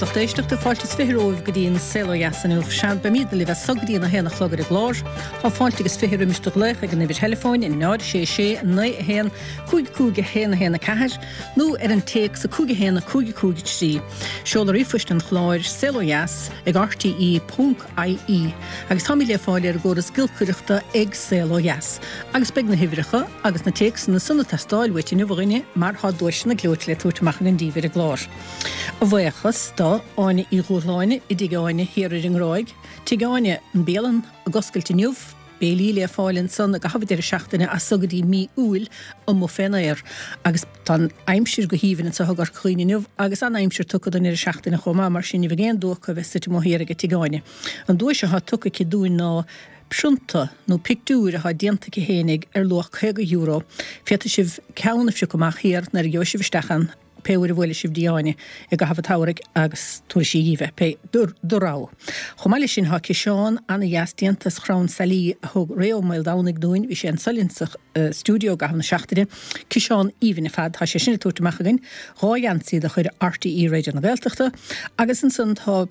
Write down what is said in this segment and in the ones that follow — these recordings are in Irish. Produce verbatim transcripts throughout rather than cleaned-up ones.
Lucht éisteachta fáilte is fiche romhaibh go dtí an Saol Ó Dheas inniu. Sea, beimid libh as so go dtí an a haon a chlog ar an gclár. Tá fáilte agus fiche roimis do ghlaoch ag an uimhir theileafóin in náid sé sé naoi a haon cúig cúig a haon a haon a ceathair nó ar an téacs a cúig a haon a cúig a cúig a trí. Seoladh ríomhphoist an chláir Saol Ó Dheas ag RTE ponc IE agus táimid le fáil ar an gcóras giolcaireachta ag Saol Ó Dheas. Agus beidh na huimhreacha agus na téacsanna san ag teastáil uait inniu a dhuine mar tá duaiseanna gleoite le tabhairt amach againn daoibh ar an gclár. A bhuíochas do Áine Uí Dhúshláine i dTigh Áine thiar ar an nGráig, Tigh Áine an bialann ag oscailt inniu, béilí le fáil ansan i gcaitheamh deireadh seachtaine as so go dtí mí Iúil amuigh fén aer. Agus tá an aimsir go haoibhinn anseo i gCorca Dhuibhne inniu agus an-aimsir tugtha don deireadh seachtaine chomh maith, mar sin ní bheidh aon dua acu a bheith suite amuigh thiar ag Tigh Áine. An duais atá tugtha aici dúinn ná prionta nó pictiúir atá déanta aici fhéinig ar luach caoga euro. Féadfaidh sibh ceann a phiocadh amach thiar nuair a gheobhaidh sibh isteach ann pé uair a bhuailfidh sibh dtí Áine i gcaitheamh an tsamhraidh agus tabharfaidh sí dhíbh é, pé do rogha. Chomh maith leis sin tá ciseán ana-dheas déanta as chrann sailí a thug Ray Ó Maoldomhnaigh dúinn, bhí sé anso linn sa stiúideo i gcaitheamh na seachtaine, ciseán aoibhinn ar fad, tá sé sin ag tabhairt amach againn, dhá gheansaí de chuid RTÉ Raidió na Gaeltachta agus ansan tá.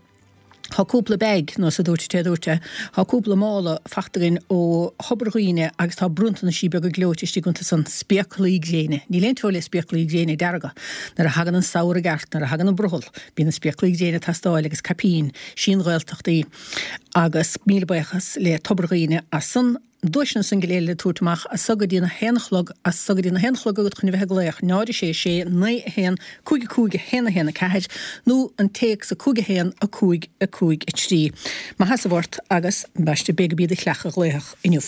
Tá cúpla bag, nó sa dúirt té dúirt é, tá cúpla mála fachta againn ó Thobar Dhuibhne agus tá bronntanaisí beaga gleoite istigh iontu san, spéaclaí gréine. Níl aon teora le spéaclaí gréine dearga. Nuair a thagann an samhradh i gceart, nuair a thagann an brothall, bíonn na spéaclaí gréine ag teastáil agus caipín, sí an Ghaeltacht í. Agus míle buíochas le Tobar Dhuibhne as san. Duaiseanna san go léir le tabhairt amach as so go dtí an a haon a chlog, as so go dtí an a haon a chlog agat chun a bheith ag glaoch, náid a sé sé naoi a haon cúig a cúig a haon a haon a ceathair nó an téacs a cúig a haon a cúig a cúig a trí. Maith sheasamh ort agus ambaiste b'é gurb iad a chleach a ghlaofadh inniu.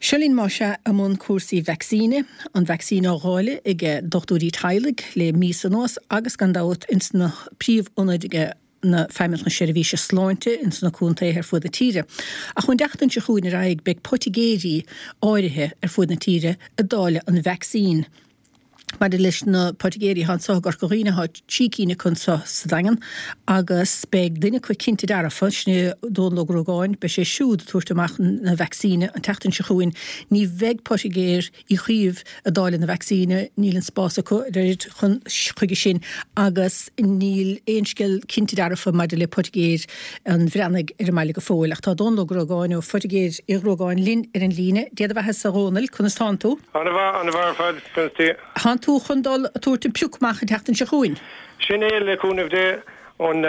Seo linn más ea i mbun cúrsaí vacsaíne, an vacsaín á dháileadh ag dochtúirí teaghlaigh le míosa anuas agus gan dabht ins na príomh-ionaid ag na Feidhmeannacht na Seirbhíse Sláinte ins na contaetha ar fuaid na tíre. Ach ón tseachtain seo chugainn ar aghaidh beidh poitigéirí áirithe ar fuaid na tíre ag dáileadh an vacsaín. Maidir leis na poitigéirí atá anso i gCorca Dhuibhne tá trí cinn acu anso sa Daingean agus beidh duine acu cinnte dearfa, sin é Dónal Ó Gruagáin, beidh sé siúd ag tabhairt amach na vacsaíne an tseachtain seo chugainn. Ní bheidh poitigéir Uí Chaoimh ag dáileadh na vacsaíne, níl an spás acu ar oiread chun chuige sin agus níl aon scéal cinnte dearfa maidir le poitigéir an Bhreathnaigh ar an mbaile go fóill. Ach tá Dónal Ó Gruagáin ó Phoitigéir Uí Ghruagáin linn ar an líne. Dia do bheatha-sa a Dhónaill, conas tánn tú? Ana-mhaith, ana-mhaith ar fad, conas tí? Tánn tú chun dul a tabhairt an pioc amach an tseachtain seo chugainn? Sin é, le cúnamh Dé. An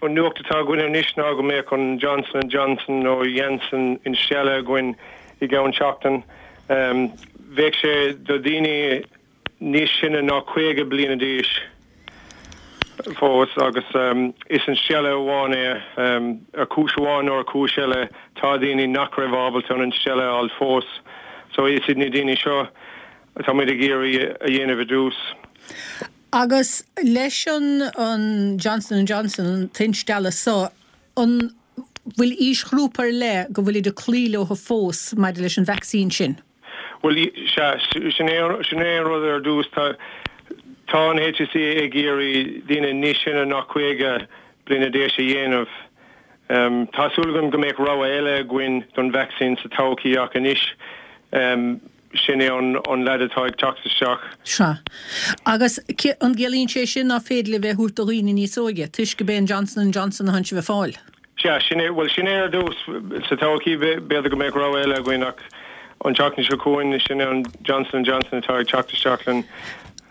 nuacht atá againn anois ná go mbeadh an Johnson and Johnson nó Janssen instealladh againn i gceann seachtain. Bheadh sé do dhaoine níos sine ná caoga bliana d'aois fós agus is instealladh amháin é. Ar chúis amháin nó ar chúis eile tá daoine nach raibh ábalta an instealladh a fháil fós so is iad na daoine seo atáimid ag iarraidh a dhéanamh i dtús. Agus leis an Johnson and Johnson, an t-instealladh so, an bhfuil aoisghrúpa ar leith go bhfuilid ag cloí leo fós maidir leis an vacsaín sin? Bhuel, sea, sin é sin é an rud ar dtús. Tá tá an HSE ag iarraidh daoine níos sine ná caoga bliana d'aois a dhéanamh. Tá súil agam go mbeadh rogha eile againn don vacsaín sa todhchaí ach anois sin é an leaid atá ag teacht isteach. Sea. Agus an gciallaíonn sé sin ná féidir libh é a thabhairt do dhaoine níos óige, toisc go b'é an Johnson and Johnson atánn sibh ag fáil? Sea, sin é, bhuel sin é ar dtús. Sa todhchaí b'fhéidir go mbeadh rogha eile againn ach an tseachtain seo chugainn sin é an Johnson and Johnson atá ag teacht isteach linn.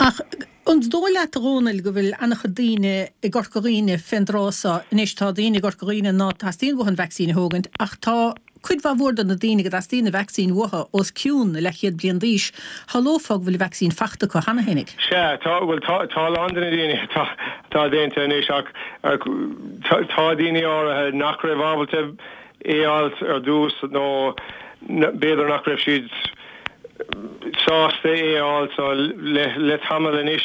Ach an dóigh leat a Dhónaill go bhfuil an-chuid daoine i gCorca Dhuibhne fén dtráth so? Anois tá daoine i gCorca Dhuibhne ná teastaíonn uathu an vacsaín a thógaint ach tá cuid mhaith mhór de na daoine go dteastaíonn an vacsaín uathu os cionn na leathchéad bliain d'aois. Shamhlófá go bhfuil an vacsaín fachta acu cheana fhéinig. Sea, tá, bhuel tá, tá a lán de na daoine atá, atá déanta anois ach tá daoine áirithe nach raibh ábalta é a fháilt ar dtús nó b'fhéidir nach raibh siad sásta é a fháil so le, le tamall anois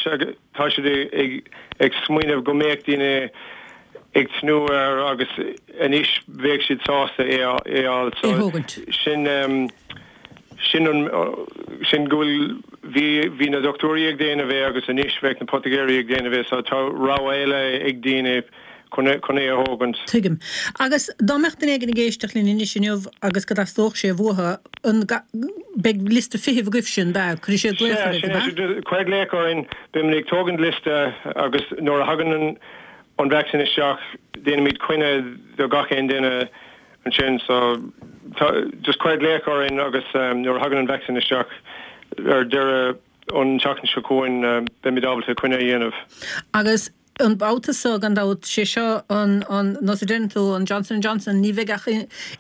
tá siad ag, ag smaoineamh go mbeadh daoine ag tnúth air agus anois bheadh siad sásta é a fháil so sin sin an sin go bhfuil bhí bhí na dochtúirí ag déanamh é agus anois bheadh na poitigéirí ag déanamh é so tá rogha eile ag daoine chun chun é a thógaint. Tuigim. Agus dá mbeadh duine éigin ag éisteacht linn anois inniu agus go dteastódh sé uathu an beidh liosta feithimh agaibhse an ea? Cuirfidh siad glaoch oraibh, an ea? Sea, sin é. Cuir glaoch orainn, beimid ag tógaint liosta agus nuair a thagann an an vaccine isteach déanaimid coinne do gach aon duine ansin so tá, just cuir glaoch orainn agus um, nuair a thagann an vaccine isteach ar deireadh an tseachtain seo chugainn um, beimid ábalta coinne a dhéanamh. Agus an babhta seo gan dabht sé seo an an nós a deireann tú an Johnson Johnson ní bheidh ach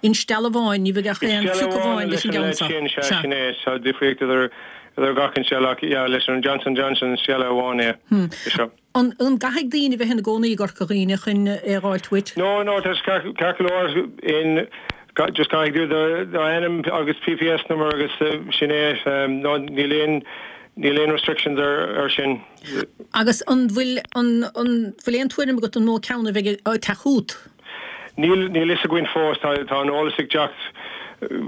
instealladh amháin ní bheidh ach aon phioc amháin leis an gceann seo. Sin sé sin é tá difríocht idir idir gach instealladh yeah, leis an Johnson Johnson instealladh amháin é. Hmm. É seo. An an gcaithfidh daoine bheith ina gcónaí i gCorca Dhuibhne chun é a fháilt uait? No, no, tá ceart go leor in just caithfidh tú do ainm agus PPS number agus uh, sin é um, no, níl aon níl aon restrictions ar, ar sin. Agus an bhfuil an an bhfuil aon tuairim agat an mó ceann a bheidh ag teacht chugat? Níl níl fhios againn fós tá tá an eolas ag teacht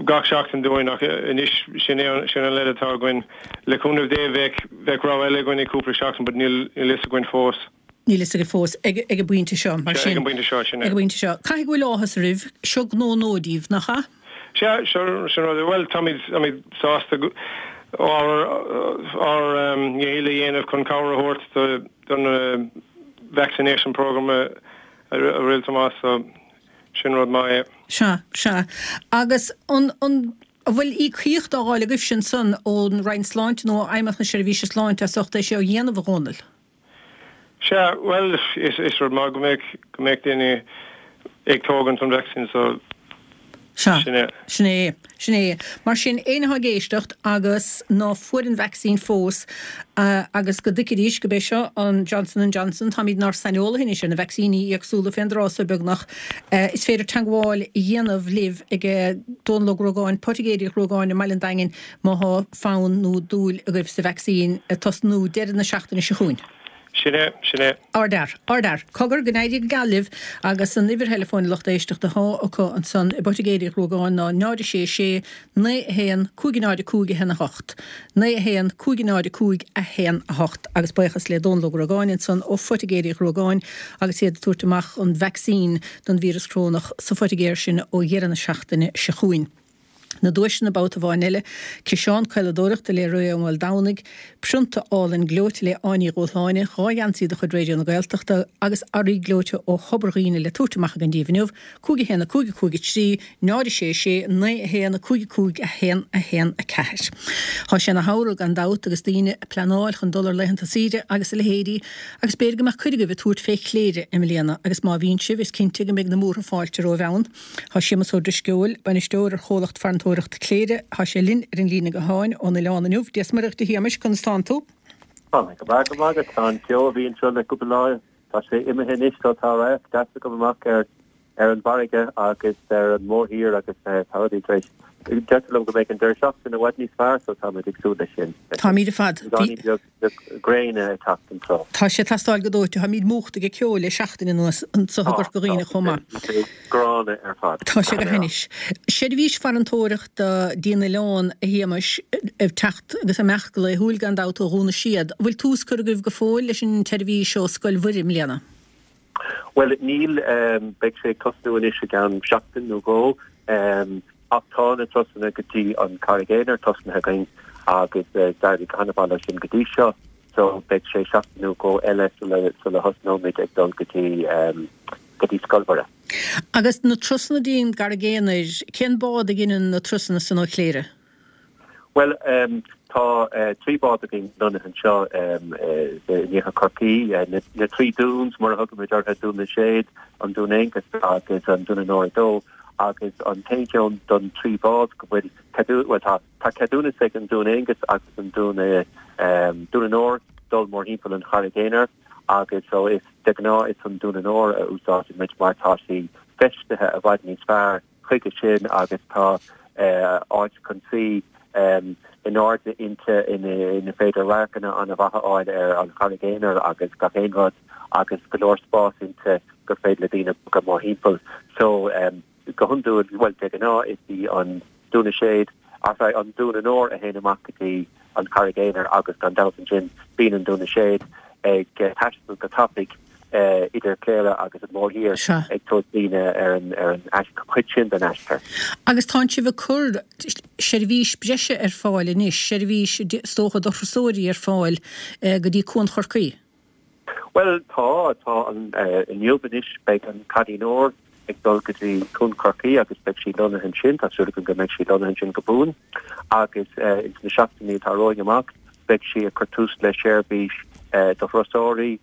gach seachtain dúinn ach anois sin é sin an leid atá againn le cúnamh Dé bheidh bheidh rogha eile againn i cúpla seachtain, but níl níl fhios againn fós. Níl fhios agaibh fós ag ag an bpointe seo mar Sea, sin. ag an bpointe seo sin é. Ag an bpointe seo. Caithfidh go bhfuil áthas oraibh seo gnó nua daoibh nach ea? Sea, sin sin rud well táimid táimid sásta go- ár ár um, ndícheall a dhéanamh chun cabhair a thabhairt do don uh, vaccination program a a a rinne Tomás so sin rud maith é. Sea, sea. Agus an an an bhfuil íocaíocht á fháil agaibh sin san ón Roinn Sláinte nó Fheidhmeannacht na Seirbhíse Sláinte as ucht é seo a dhéanamh a Dhónaill? Sea, well is is rud maith go mbeidh go mbeidh daoine ag tógaint an vaccine so Sea. sin é. Sin é, sin é. Mar sin éinne atá ag éisteacht agus ná fuair an vaccine fós uh, agus go dtuigfidís gurb é seo an Johnson and Johnson táimid inár saineolaithe anois ar na vacsaíní éagsúla fén dtráth seo beagnach. Uh, is féidir teagmháil a dhéanamh libh ag Dónal Ó Gruagáin, Poitigéir Uí Ghruagáin i mBaile an Daingin má tá fonn nó dúil agaibh sa vaccine tosnú deireadh na seachtaine seo chugainn. Sin é, sin é. Ardfhear, ardfhear, cogar go n-éirí go geal libh agus an uimhir theileafóin lucht éisteachta atá acu ansan i bPoitigéir Uí Ghruagáin ná náid sé sé naoi a haon cúig náid cúig a haon a hocht. Naoi a haon cúig náid cúig a haon a hocht agus buíochas le Dónal Ó Gruagáin ansan ó Phoitigéir Uí Ghruagáin agus iad ag tabhairt amach an vaccine don víreas corónach sa phoitigéir sin ó dheireadh na seachtaine seo chugainn. Na duaiseanna babhta amháin eile, ciseán caoladóireachta le Ray Ó Maoldomhnaigh, prionta álainn gleoite le Áine Ní Dhúshláine, dhá gheansaí de chuid Raidió na Gaeltachta agus earraí gleoite ó Thobar Dhuibhne le tabhairt amach againn daoibh inniu, cúig a haon a cúig a cúig a trí, náid a sé sé, naoi a haon a cúig a cúig a haon a haon a ceathair. Tá sé ina shamhradh gan dabht agus daoine ag pleanáil chun dul ar laethanta saoire agus a leithéidí, agus b'fhéidir go mbeadh cuid agaibh ag tabhairt fé Chléire i mbliana, agus má bhíonn sibh is cinnte go mbeidh na múrtha fáilte romhaibh ann. Tá Séamus Ó Drisceoil, bainisteoir ar chomhlacht farantóireachta Chléire, tá sé linn ar an líne gutháin ón oileán inniu, Dia is Muire dhuit a Shéamais conas tánn tú? Tá mé go breá go maith tá an ceo a bhí anseo le cúpla lá tá sé imithe anois tá tá radharc deas agam amach ar ar an bhfarraige agus ar an mórthír agus tá rudaí tar éis deirtear liom go mbeidh an deireadh seachtaine i bhfad níos fearr so táimid ag súil leis sin. Táimid ar fad. Beagáinín beag gréine ag teacht anseo. Tá sé ag teastáil go dóite, táimid múchta ag ceo le seachtain anuas anseo i gCorca Dhuibhne chomh maith. Gránna ar fad. Tá sé go hainnis. Seirbhís farantóireachta go dtí an oileán a Shéamais ag teacht agus amach go laethúil gan dabht ó Dhún na Séad. Bhfuil tús curtha agaibh go fóill leis an tseirbhís ó Scoil Mhuire i mbliana? Well níl um, beidh sé ag tosnú anois i gceann seachtain nó dhó um, ach tá na turasanna go dtí an Charraig Aonair tosnaithe againn agus uh, d'éirigh go han-mhaith leis sin go dtí seo so beidh sé seachtain nó dhó eile sula sula thosnóimid ag dul go dtí um, go dtí Scoil Mhuire. Agus na turasanna go dtí an Charraig Aonair, cén bád a dhéanann na turasanna san ó Chléire? Well um, tá uh, trí bád againn lonnaithe anseo um, uh, in iarthar Chorcaí uh, na, na trí dúns mar a thugaimid orthu Dún na Séad, an Dún Aonghus agus an Dún Onóra Dó agus an t-aon don trí bád go bhfuil ceadú well, tá tá ceadúnas ag an Dún Aonghus agus an Dún um, Dún Onóir dul mórthimpeall an Charraig Aonair agus so is de ghnáth is an Dún Onóir a úsáidimid mar tá sí feistithe i bhfad níos fearr chuige sin agus tá uh, áit chun suí um, in airde inti ina ina féidir radharcanna an-mhaith a fháil ar an Charraig Aonair agus gach aon rud agus go leor spás inti gur féidir le daoine go mórthimpeall so um, go hiondúil well de ghnáth is í an Dún na Séad as an Dún Onóir a théann amach go dtí an Charraig Aonair agus gan dabht ansin bíonn an Dún na Séad ag uh, taisteal go tapaidh uh, idir Cléire agus an mórthír ag tabhairt daoine ar an ar an chuid sin den aistear. Agus tá sibh ag cur seirbhís breise ar fáil anois, seirbhís is dócha do thurasóirí ar fáil uh, go dtí Cuan Chorcaí. Well tá tá an inniu anois beidh an Cailín Óir ag dul go dtí Cuan Chorcaí agus beidh sí lonnaithe ansin tá súil go mbeidh sí lonnaithe ansin go buan agus ins na seachtainí atá romhainn amach beidh sí ag cur tús le seirbhís do thurasóirí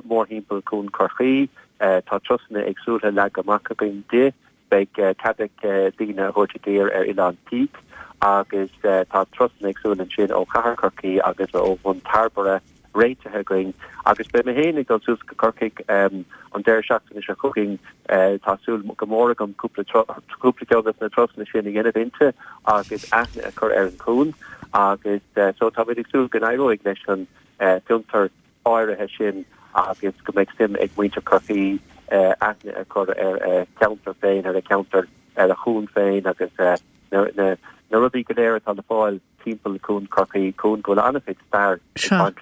mórthimpeall Cuan Chorcaí tá turasanna éagsúla leagtha amach againn di beidh cead ag daoine a thabhairt i dtír ar Oileán Píc agus tá turasanna éagsúla ansin ó Chathair Chorcaí agus ó Bhun Tairbeire réitithe againn agus beidh mé féin ag dul suas go Corcaigh um, an deireadh seachtaine seo chugainn uh, tá súil go mór agam cúpla cúpla ceann de na turasanna sin a dhéanamh inti agus aithne a chur ar an cuan agus uh, so tá ag súil go n-éireoidh leis an uh, fiontar áirithe sin agus go mbeidh suim ag muintir Chorcaí uh, aithne a chur ar uh, ceantar féin ar a ceantar ar a chuan féin agus uh, na, na, na rudaí go léir atá le fáil timpeall Cuan Chorcaí cuan go bhfuil an-chuid stair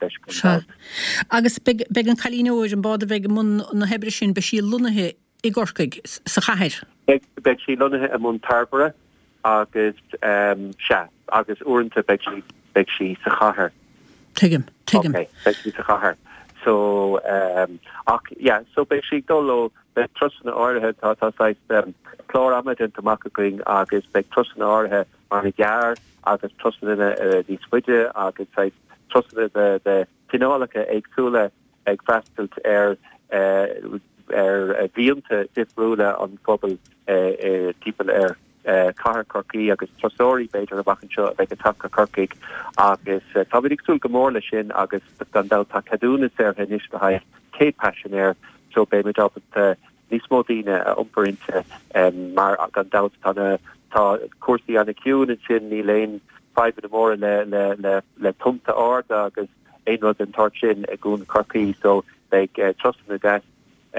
leis. Agus beidh an Cailín Óir an bád a bheidh i mbun na hoibre sin beidh sí lonnaithe i gCorcaigh sa chathair. Beidh sí lonnaithe i mBun Tairbeire agus um, sea agus uaireanta beidh sí beidh sí sa chathair. Tuigim tuigim. Okay, beidh sí sa chathair. So um, ach yeah, so beidh sí dul ó beidh turasanna áirithe tá tá um, clár ama déanta amach againn agus beidh turasanna áirithe mar gearr agus turasanna uh, níos faide agus turasanna de, de cineálacha éagsúla ag freastal ar uh, ar uh, mhianta difriúla an phobal uh, uh, timpeall ar uh, Cathair Chorcaí agus turasóirí b'fhéidir amach anseo a bheidh ag teacht go Corcaigh agus uh, tá ag súil go mór leis sin agus gan dabht tá ceadúnas saortha anois le haghaidh céad paisinéir so beimid ábalta níos mó daoine a iompar inti um, mar gan dabht tá tá cúrsaí an-chiúin ansin níl aon fadhbanna móra le le le le tonnta arda agus aon rud den tsórt sin i gCuan Chorcaí so beidh uh, turasanna deas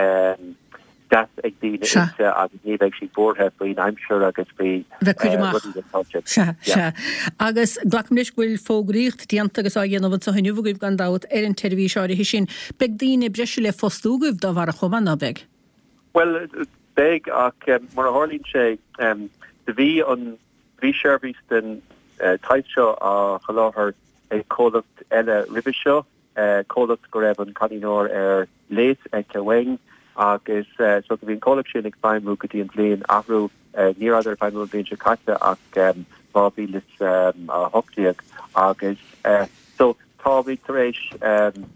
um, deas ag daoine inti agus ní bheidh siad buartha faoin aimsir agus faoi Sea sea agus glacaim leis go bhfuil fógraíocht déanta agus á dhéanamh anseo inniu agaibh gan dabht ar an tseirbhís áirithe sin. Beidh daoine breise le fostú agaibh dá bharr chomh maith ná beidh? Well beidh ach um, mar a tharlaíonn sé um, do bhí an bhí seirbhís den uh, type seo á sholáthar ag comhlacht eile roimhe seo uh, comhlacht go raibh an Cailín Óir ar léas aici uainn agus uh, so bhí an comhlacht sin ag feidhmiú go dtí an bhliain athrú uh, ní raibh ag feidhmiú an bhliain seo caite ach um, dhá mhíle is um, a hocht déag agus uh, so táimid tar éis um,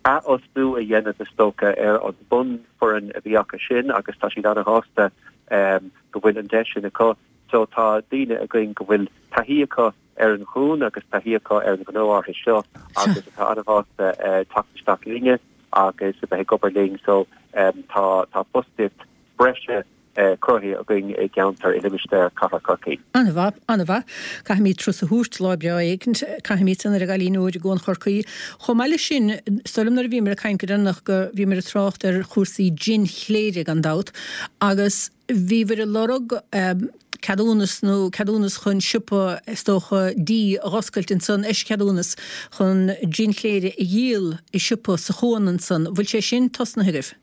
athfhostú a dhéanamh is dócha ar an bunfhoireann a bhí acu sin agus tá siad an-shásta um, go bhfuil an deis sin acu so tá daoine againn go bhfuil taithí acu ar an chuan agus taithí acu ar an ghnó áirithe seo agus atá an-shásta uh, teacht isteach linne agus a bheith ag obair linn so um, tá tá fostaíocht breise uh, cruthaithe againn i gceantar i limistéar Cathair Chorcaí. An-mhaith, an-mhaith. Caithfimid turas a thabhairt lá breá éicint, caithfimid ar an gCailín Óir i gCuan Chorcaí. Chomh maith leis sin, is dóigh liom nuair a bhíomar ag caint go deireanach go bhíomar ag trácht ar chúrsaí jin chléire gan dabht agus bhíobhair ag lorg um, ceadúnas nó ceadúnas chun siopa is dócha dí a dh'oscailt ansan eischeadúnas chun jin chléire a dhíol i siopa sa chuan ansan. Bhfuil sé sin tosnaithe agaibh?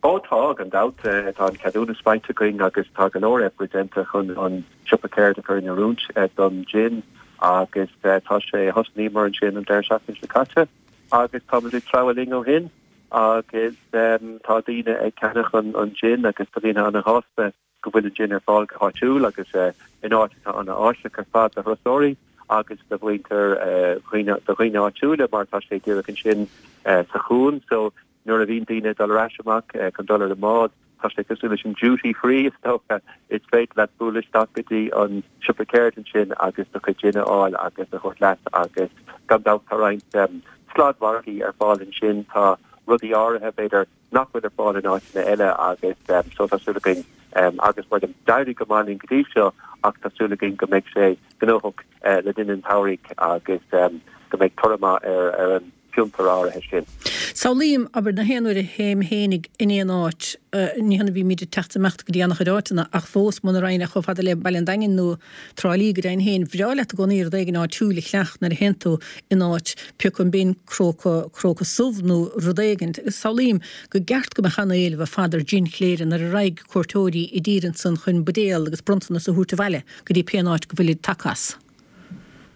Ó tá gan dabht eh, tá an ceadúnas faighte againn agus tá go leor oibre déanta chun an siopa ceirde a chur in oiriúint eh, don gin agus eh, tá sé thosnaíomar ansin an deireadh seachtaine seo caite agus tá ag treabhadh linn ó shin agus um, tá daoine ag ceannach an, an gin agus tá daoine an-shásta go bhfuil an gin ar fáil go háitiúil agus uh, in áit atá an-áisiúil ar fad do thurasóirí agus do mhuintir uh, do dhaoine áitiúla mar tá sé díreach ansin uh, sa chuan so nuair a bhíonn daoine dul ar ais amach uh, chun dul ar an mbád tá sé cosúil leis an duty free is dócha is féidir leat bualadh isteach go dtí an siopa ceirde ansin agus do chuid gin a fháil agus a thabhairt leat agus gan dabht tá roinnt um, sladmhargaí ar fáil ansin tá rudaí áirithe b'fhéidir nach bhfuil ar fáil in áiteanna eile agus um, so tá súil againn um, agus mar d'éirigh go maith linn go dtí seo ach tá súil againn go mbeidh sé gnóthach uh, le linn an tsamhraidh agus um, go mbeidh toradh maith ar ar an fiontar áirithe sin. Samhlaím abair na haon uair a théim fhéinig in aon áit, ní hann a bhímid ag teacht amach go dtí an-chuid áiteanna ach fós muna raghainn chomh fada le Baile an Daingin nó Trá Lí go deimhin féin, bhreá leat i gcónaí rud éigin áitiúil a cheannach nuair a théann tú in áit, pioc an binn cróca cróca subh nó rud éigin. Samhlaím go gceart go mbeadh an-éileamh ar fad ar jin chléire nuair a raghaidh cuairteoirí i dtír ansan chun buidéal agus bronntanas a thabhairt abhaile go dtí pé áit go bhfuilid tagtha as.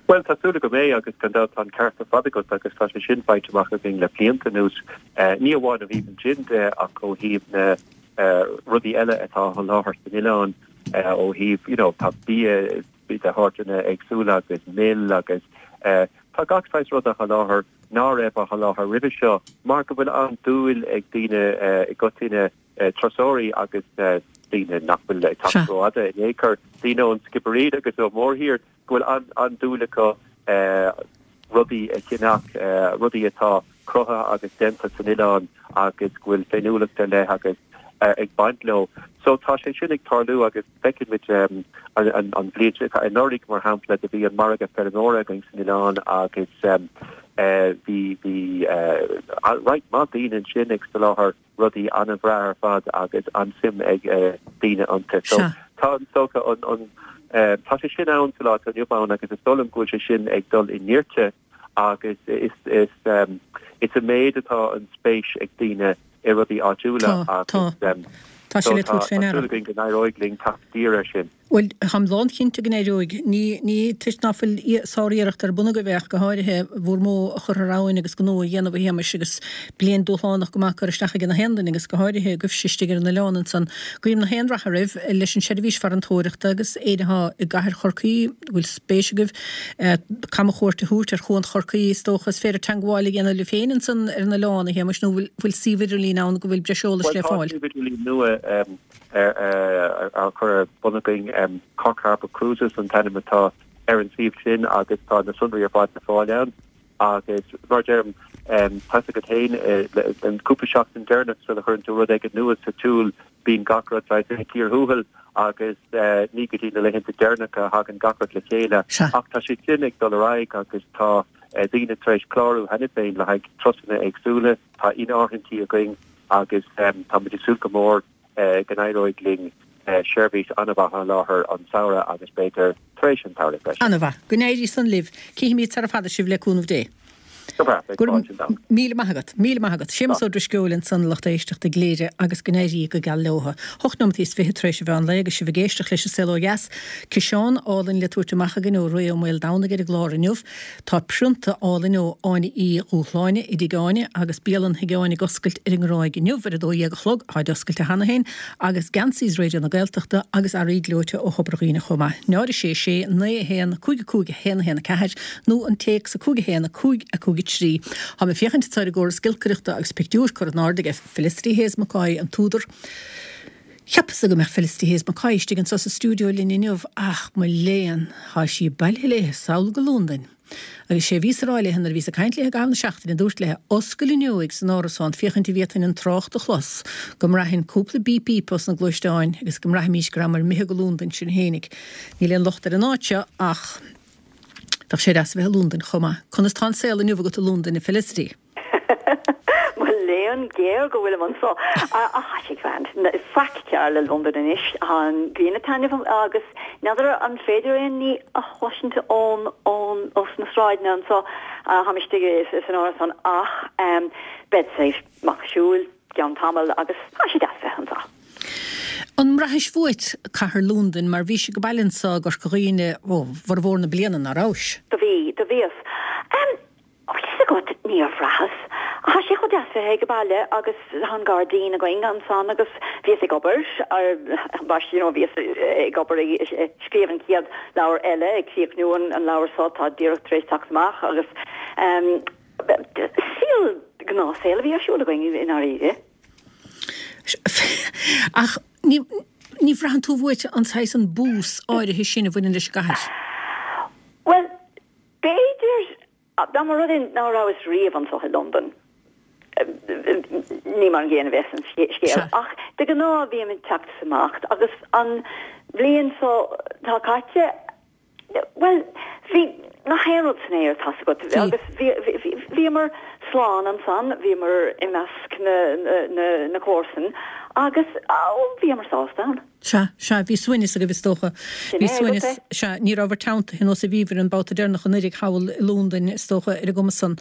Bhuel, tá súil agam é agus gan dabht tá an ceart ar fad agat agus tá sé sin faighte amach againn le blianta anuas, ní amháin ó thaobh an gin de ach ó thaobh na rudaí eile atá á sholáthar san oileán, ó thaobh, you know, tá bia de shórtanna éagsúla agus mil agus tá gach saghas rud á sholáthar ná raibh á sholáthar roimhe seo mar go bhfuil an-dúil ag daoine i gcoitinne, turasóirí agus daoine nach bhfuil ag teacht rófhada in aon chor, daoine ón Sciobairín agus ón mórthír, go bhfuil an-dúil acu rudaí a cheannach, rudaí atá cruthaithe agus déanta san oileán agus go bhfuil féiniúlacht ar leith agus ag baint leo. So tá sé sin ag tarlú agus feiceann muid an bhliain seo, anuraidh mar shampla, do bhí an margadh feirmeora againn san oileán agus bhí bhí roinnt mhaith daoine ansin ag soláthar rudaí an-bhreá ar fad agus an-suim ag daoine iontu. So tá an dócha an an tá sé sin ann sa lá atá inniu ann agus is dóigh liom go bhfuil sé sin ag dul i nirte agus is is is i méid atá an spéis ag daoine i rudaí áitiúla agus Tá sé le tabhairt fé ndeara. Tá súil againn go n-éireoidh linn teacht i dtír air sin. Bhuel, táim lánchinnte go n-éireoidh. Ní, ní toisc ná fuil sár-iarracht ar bun agaibh ach go háirithe bhur modh a chur thar abhainn agus gnó a dhéanamh a Shéamais agus bliain dúshlánach go maith curtha isteach ag na haon duine agus go háirithe agaibhse istigh ar an oileán ansan. Guím na haon rath oraibh leis an seirbhís farantóireachta agus éinne atá i gcathair Chorcaí, go bhfuil spéis agaibh camchuairt a thabhairt ar Chuan Chorcaí, is dócha. Is féidir teangmháil a dhéanamh libh féin ansan ar an oileán, a Shéamais, nó bhfuil bhfuil suíomh idirlín ann go bhfuil breis eolais Bhuel, le tá fáil? suíomh idirlín nua á chur ar bun againn, Cork Harbour Cruises an t-ainm atá ar an suíomh sin agus tá na sonraí ar fad le fáil ann. Agus mar a deirim, tá 'fhios agat féin, an cúpla seachtain deireanach sula chuireann tú rud éigin nua sa tsiúl, bíonn gach rud saghas ag cíor thuathail agus ní go dtí na laethanta deireanacha a thagann gach rud le chéile. Ach tá sé sin ag dul ar aghaidh agus tá daoine tar éis clárú cheana féin le haghaidh turasanna éagsúla, tá in-áirithintí againn agus táimid ag súil go mór go n-éireoidh linn seirbhís an-mhaith a sholáthar an samhradh agus b'fhéidir tar éis an tsamhraidh freisin. An-mhaith. Go n-éirí san libh. Cífimid sara fada sibh le cúnamh Dé. Go breá, beidh Go raibh fáilte ann. míle maith agat. Míle maith agat. Séamus Ó Drisceoil ansan, a lucht éisteachta i gCléire agus go n-éirí go geal leotha. Hocht nóimeataí is fiche tar éis an mheán lae agus sibh ag éisteacht leis an Saol Ó Dheas. Ciseán álainn le tabhairt amach againn ó Ray Ó Maoldomhnaigh ar an gclár inniu. Tá prionta álainn ó Áine Uí Dhúshláine i dTigh Áine agus bialann Thigh Áine ag oscailt ar an nGráig inniu ar a dó dhéag a chlog, táid oscailte cheana féin, agus geansaí Raidió na Gaeltachta agus earraí gleoite ó Thobar Dhuibhne chomh maith. Náid a sé sé naoi a haon cúig a cúig a haon a haon a ceathair nó an téacs a cúig a haon a cúig a cúig a trí. Táim ag féachaint anseo ar an gcóras giolcaireachta agus pictiúr curtha in airde aige Felicity Hayes McCoy, an t-údar. Cheapas-sa go mbeadh Felicity Hayes McCoy istigh anseo sa stiúideo linn inniu ach mo léan, tá sí bailithe léithe sall go Londain. Agus sé a bhíos a rá léithe nuair a bhíos ag caint léithe i gcaitheamh na seachtaine, dúrt léithe, oscail an fhuinneoig san árasán féachaint an bhféadfainn an trácht a chlos, go mbraithfinn cúpla bíp bíp os na gluaisteáin agus go mbraithfimís go rabhamar imithe go Londain sinn fhéinig. Níl aon locht ar an áit seo ach bheadh sé deas a bheith i Londain chomh maith. Conas tá an saol inniu agat i Londain, a Felicity? Mo léan géar go bhfuilim anso. Ach tá sé grand. Faic cearr le Londain anois. Tá an ghrian ag taitneamh agus n'fheadar an féidir aon ní a chloisint ón ón os na sráideanna anso. Táim istigh san árasán ach bead saghas amach ag siúl gceann tamaill agus tá sé deas bheith anso. An mbraithis uait cathair Londain mar bhís ag baile anso i gCorca Dhuibhne ó bhformhór na bliana, ná rabhais? Do bhí, do bhíos. Bhfuil fhios agat, níor bhraitheas. Tá sé chomh deas bheith ag baile agus tá an gairdín againn ansan agus bhíos ag obair, mar you know, bhíos ag obair ag scríobh an chéad leabhar eile, ag críochnú an leabhar seo atá díreach tar éis teacht amach agus saol, gnáthshaol a bhí ar siúl againn i ndáiríre. Ach ní ní bhraitheann tú uait an saghas an bús áirithe sin a bhaineann leis an gcathair? Bhuel, b'fhéidir, dá mba rud é ná rabhas riamh anso i Londain, ní mar an gcéanna a bheas an scéal. Ach de ghnáth bím ag teacht is imeacht agus an bhliain so tá caite, bhuel, bhí nach aon rud san aer, tá's agat, agus bhíomar slán ansan, bhíomar i measc na, na, na comharsan agus bhíomar sásta ann. Sea, sea, bhí suaimhneas agaibh is dócha. Bhí suaimhneas, sea, ní rabhabhair teanntaithe nós a bhíobhair an babhta deireanach anuiridh thall i Lúndain is dócha ar an gcuma san.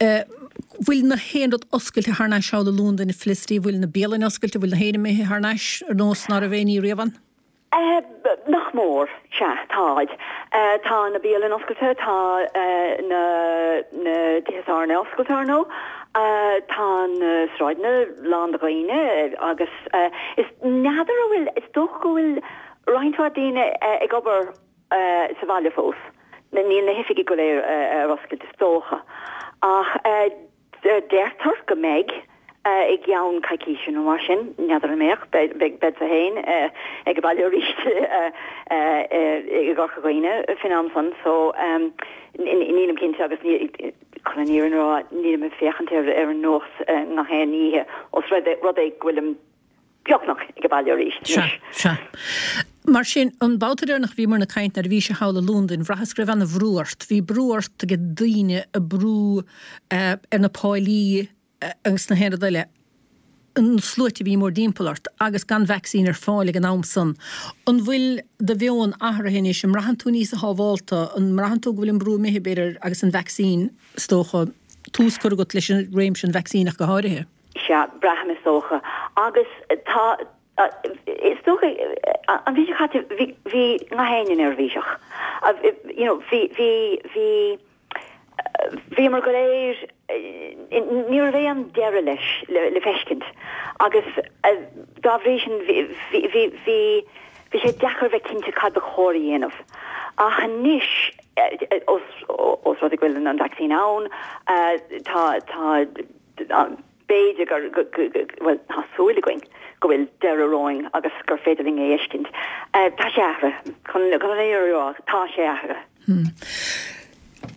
Bhfuil na haon rud oscailte thar n-ais thall i Lúndain, a Felicity, bhfuil na bialanna oscailte, bhfuil na haon imithe thar n-ais ar nós ná raibh aon ní riamh ann? Nach mór, sea, táid. Tá na bialanna oscailte, tá na na tithe tábhairne oscailte ar ndóigh, tá na sráideanna lán de dhaoine agus is n'fheadar an bhfuil, is dócha go bhfuil roinnt mhaith daoine ag obair sa bhaile fós. Níl na hoifigí go léir ar oscailt is dócha. Ach deirtear go mbeidh i gceann coicíse nó mar sin, n'fheadar an mbeadh, beadsa féin ag an baile arís i gCorca Dhuibhne faoin am san so nílim cinnte agus chun an fhírinne a rá nílim ag féachaint ar ar an nuacht gach aon oíche os rud é go bhfuilim beagnach ag an baile arís Sea, sea. Mar sin, an babhta deireanach a bhíomar ag caint nuair a bhís thall i Londain, bhraitheas go raibh ana bhrú ort. Bhí brú ort ag daoine ag brú ar na póilíní agus na haon rud eile, an sluaite a bhí mórdtimpeall ort agus gan vacsaín ar fáil ag an am san. An bhfuil do mheon athraithe anois? An mbraitheann tú níos sábhálta? An mbraitheann tú go bhfuil an brú imithe, b'fhéidir, agus an vacsaín, is dócha, tús curtha agat leis an réimse an vacsaín ach go háirithe? Sea, braithim is dócha. Agus tá, is dócha, an mhí seo caite, bhí, bhí gach éinne neirbhíseach. You know, bhí, bhí, bhí, bhíomar go léir, ní raibh aon deireadh leis le, le feiscint. Agus dá bhrí sin, bhí, bhí, bhí, bhí, bhí sé deacair bheith cinnte cad ba chóir a dhéanamh. Ach anois, os, os rud é go bhfuil an vacsaín ann, tá, tá, b'fhéidir gur, bhuel, tá súil againn go bhfuil deireadh romhainn agus gur féidir linn é a fheiscint. Tá sé athraithe. Chun an fhírinne a rá, tá sé athraithe.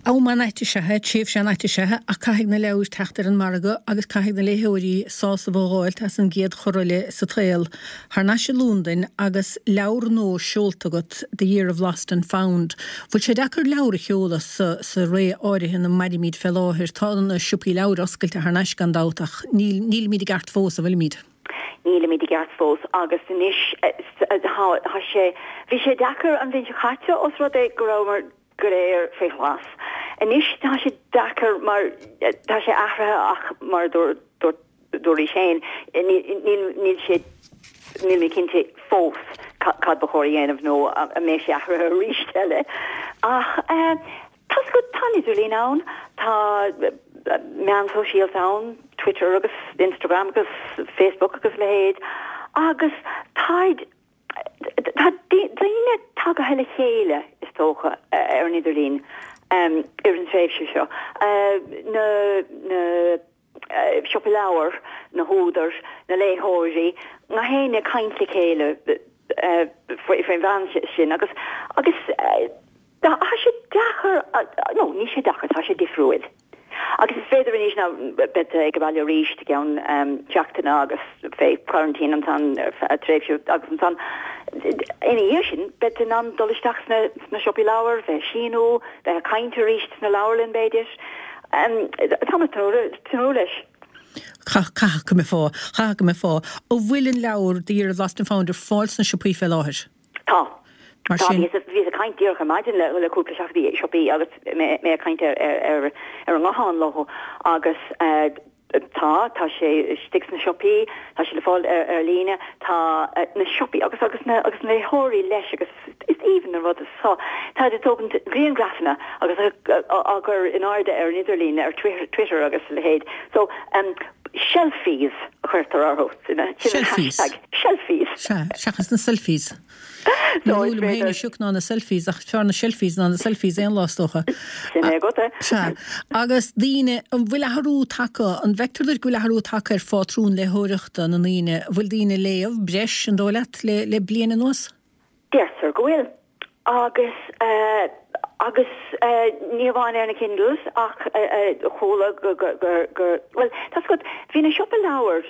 Am an-ait is ea é, tréimhse an-ait is ea é, ach caithfidh na leabhair teacht ar an margadh agus caithfidh na léitheoirí sásamh a dh'fháilt as an gcéad chor eile sa tsaol. Thar n-ais i Londain agus leabhar nua seolta agat, The Year of Lost and Found. Bhfuil sé deacair leabhar a sheoladh sa sa ré áirithe ina mairimid fé láthair? Tá na siopaí leabhar oscailte thar n-ais gan dabht ach níl nílimid i gceart fós, an bhfuilimid? Nílimid i gceart fós agus anois tá sé bhí sé deacair an bhliain seo caite os rud é go rabhamar go léir fé ghlas. Anois tá sé deacair mar tá sé athraithe ach mar dúraís féin níl sé níl mé cinnte fós cad ba chóir a dhéanamh nó an mbeidh sé athraithe arís eile. Ach tá tá an idirlíon ann, tá meán sóisialta ann, Twitter agus Instagram agus Facebook agus leithéid agus táid Tá daoine tagaithe le chéile, is dócha, ar an idirlíon ar an tréimhse seo. Na na siopaí leabhar, na húdair, na léitheoirí, gach éinne ag caint le chéile faoin mheán sin agus agus tá sé deacair, nó níl sé deacair, tá sé difriúil. Agus is féidir anois ná beidh ag baile arís i gceann seachtaine agus fé quarantine ansan ar feadh tréimhse agus ansan ina dhiaidh sin beidh in ann dul isteach sna sna siopaí leabhar, bheith ag síniú, bheith ag caint arís sna leabharlann b'fhéidir. Tá mé ag tnúth leis. Caithfidh go mbeifeá, caithfidh go mbeifeá. An bhfuil an leabhar The Year of Lost and Found ar fáil sna siopaí fé láthair? Tá. Mar Tá, sin. bhíos bhíos ag caint díreach ar maidin le le cúpla siopaí siopaí agus mé mé ag caint ar ar ar ar an nguthán leo agus eh, tá tá sé istigh sna siopaí, tá sé le fáil ar ar líne, tá eh, na siopaí agus agus na agus na léitheoirí leis agus is aoibhinn an rud so táid ag tógaint grianghrafanna agus á á gcur in airde ar an idirlíon ar Twitter Twitter agus a leithéid. So um, shelfies a chuirtear orthu sin a sin an Shelfies. hashtag shelfies. Sea, seachas na selfies. Ní So lú is liom féin féidir a sioc ná na selfies ach fearr na shelfies ná na selfies aon lá is dócha. sin é agat é. Sea. Agus daoine, an bhfuil athrú tagtha, an bhfeictear duit go bhfuil athrú tagtha ar phátrún léitheoireachta na ndaoine? An bhfuil daoine ag léamh breis, an dóigh leat, le, le bliain anuas? Deirtear go bhfuil. Agus eh, agus eh, ní amháin ar na Kindles ach eh, eh, chuala go go go go bhuel tá 's agat bhí na siopaí leabhar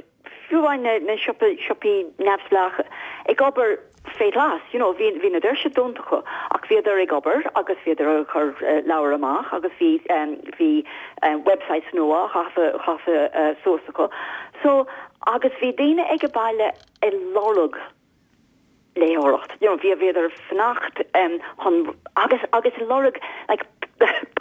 fiú amháin na na siopaí siopaí neamhspleácha ag obair fé ghlas you know bhí bhí na doirse dúnta acu ach bhíodar ag obair agus bhíodar ag cur eh, leabhar amach agus bhí um, bhí um, websites nua gafa gafa uh, suas acu. So agus bhí daoine ag baile ag lorg léitheoireacht. You know, bhí bhíodar fanacht um, chun agus agus lorg like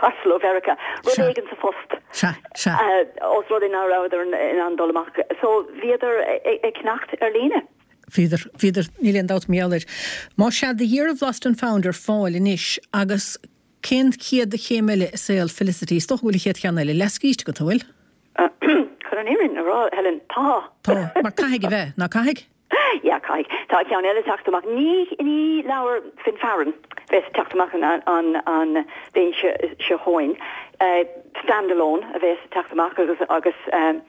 parcel ó Mheiriceá rud Sea. éigin sa phost. Sea, sea. Uh, os rud é nach rabhadar in ann dul amach. So bhíodar ag ceannacht ar líne. Bhíodar, bhíodar, níl aon dabht mar gheall air. Má sea, The Year of Lost and Found ar fáil anois agus cén chéad chéim eile i saol Felicity? Is dócha go bhfuil an chéad cheann eile leathscríte agat, an bhfuil? Chun an fhírinne a rá, Helen, tá. Tá, mar caithfidh a bheith, ná caithfidh? Yeah, caithfidh. Tá ceann eile teacht amach. Ní, ní leabhar Finfearann bheas teacht amach an, an, an bhliain seo, seo chugainn. Uh, standalone a bheas teacht amach agus, agus um,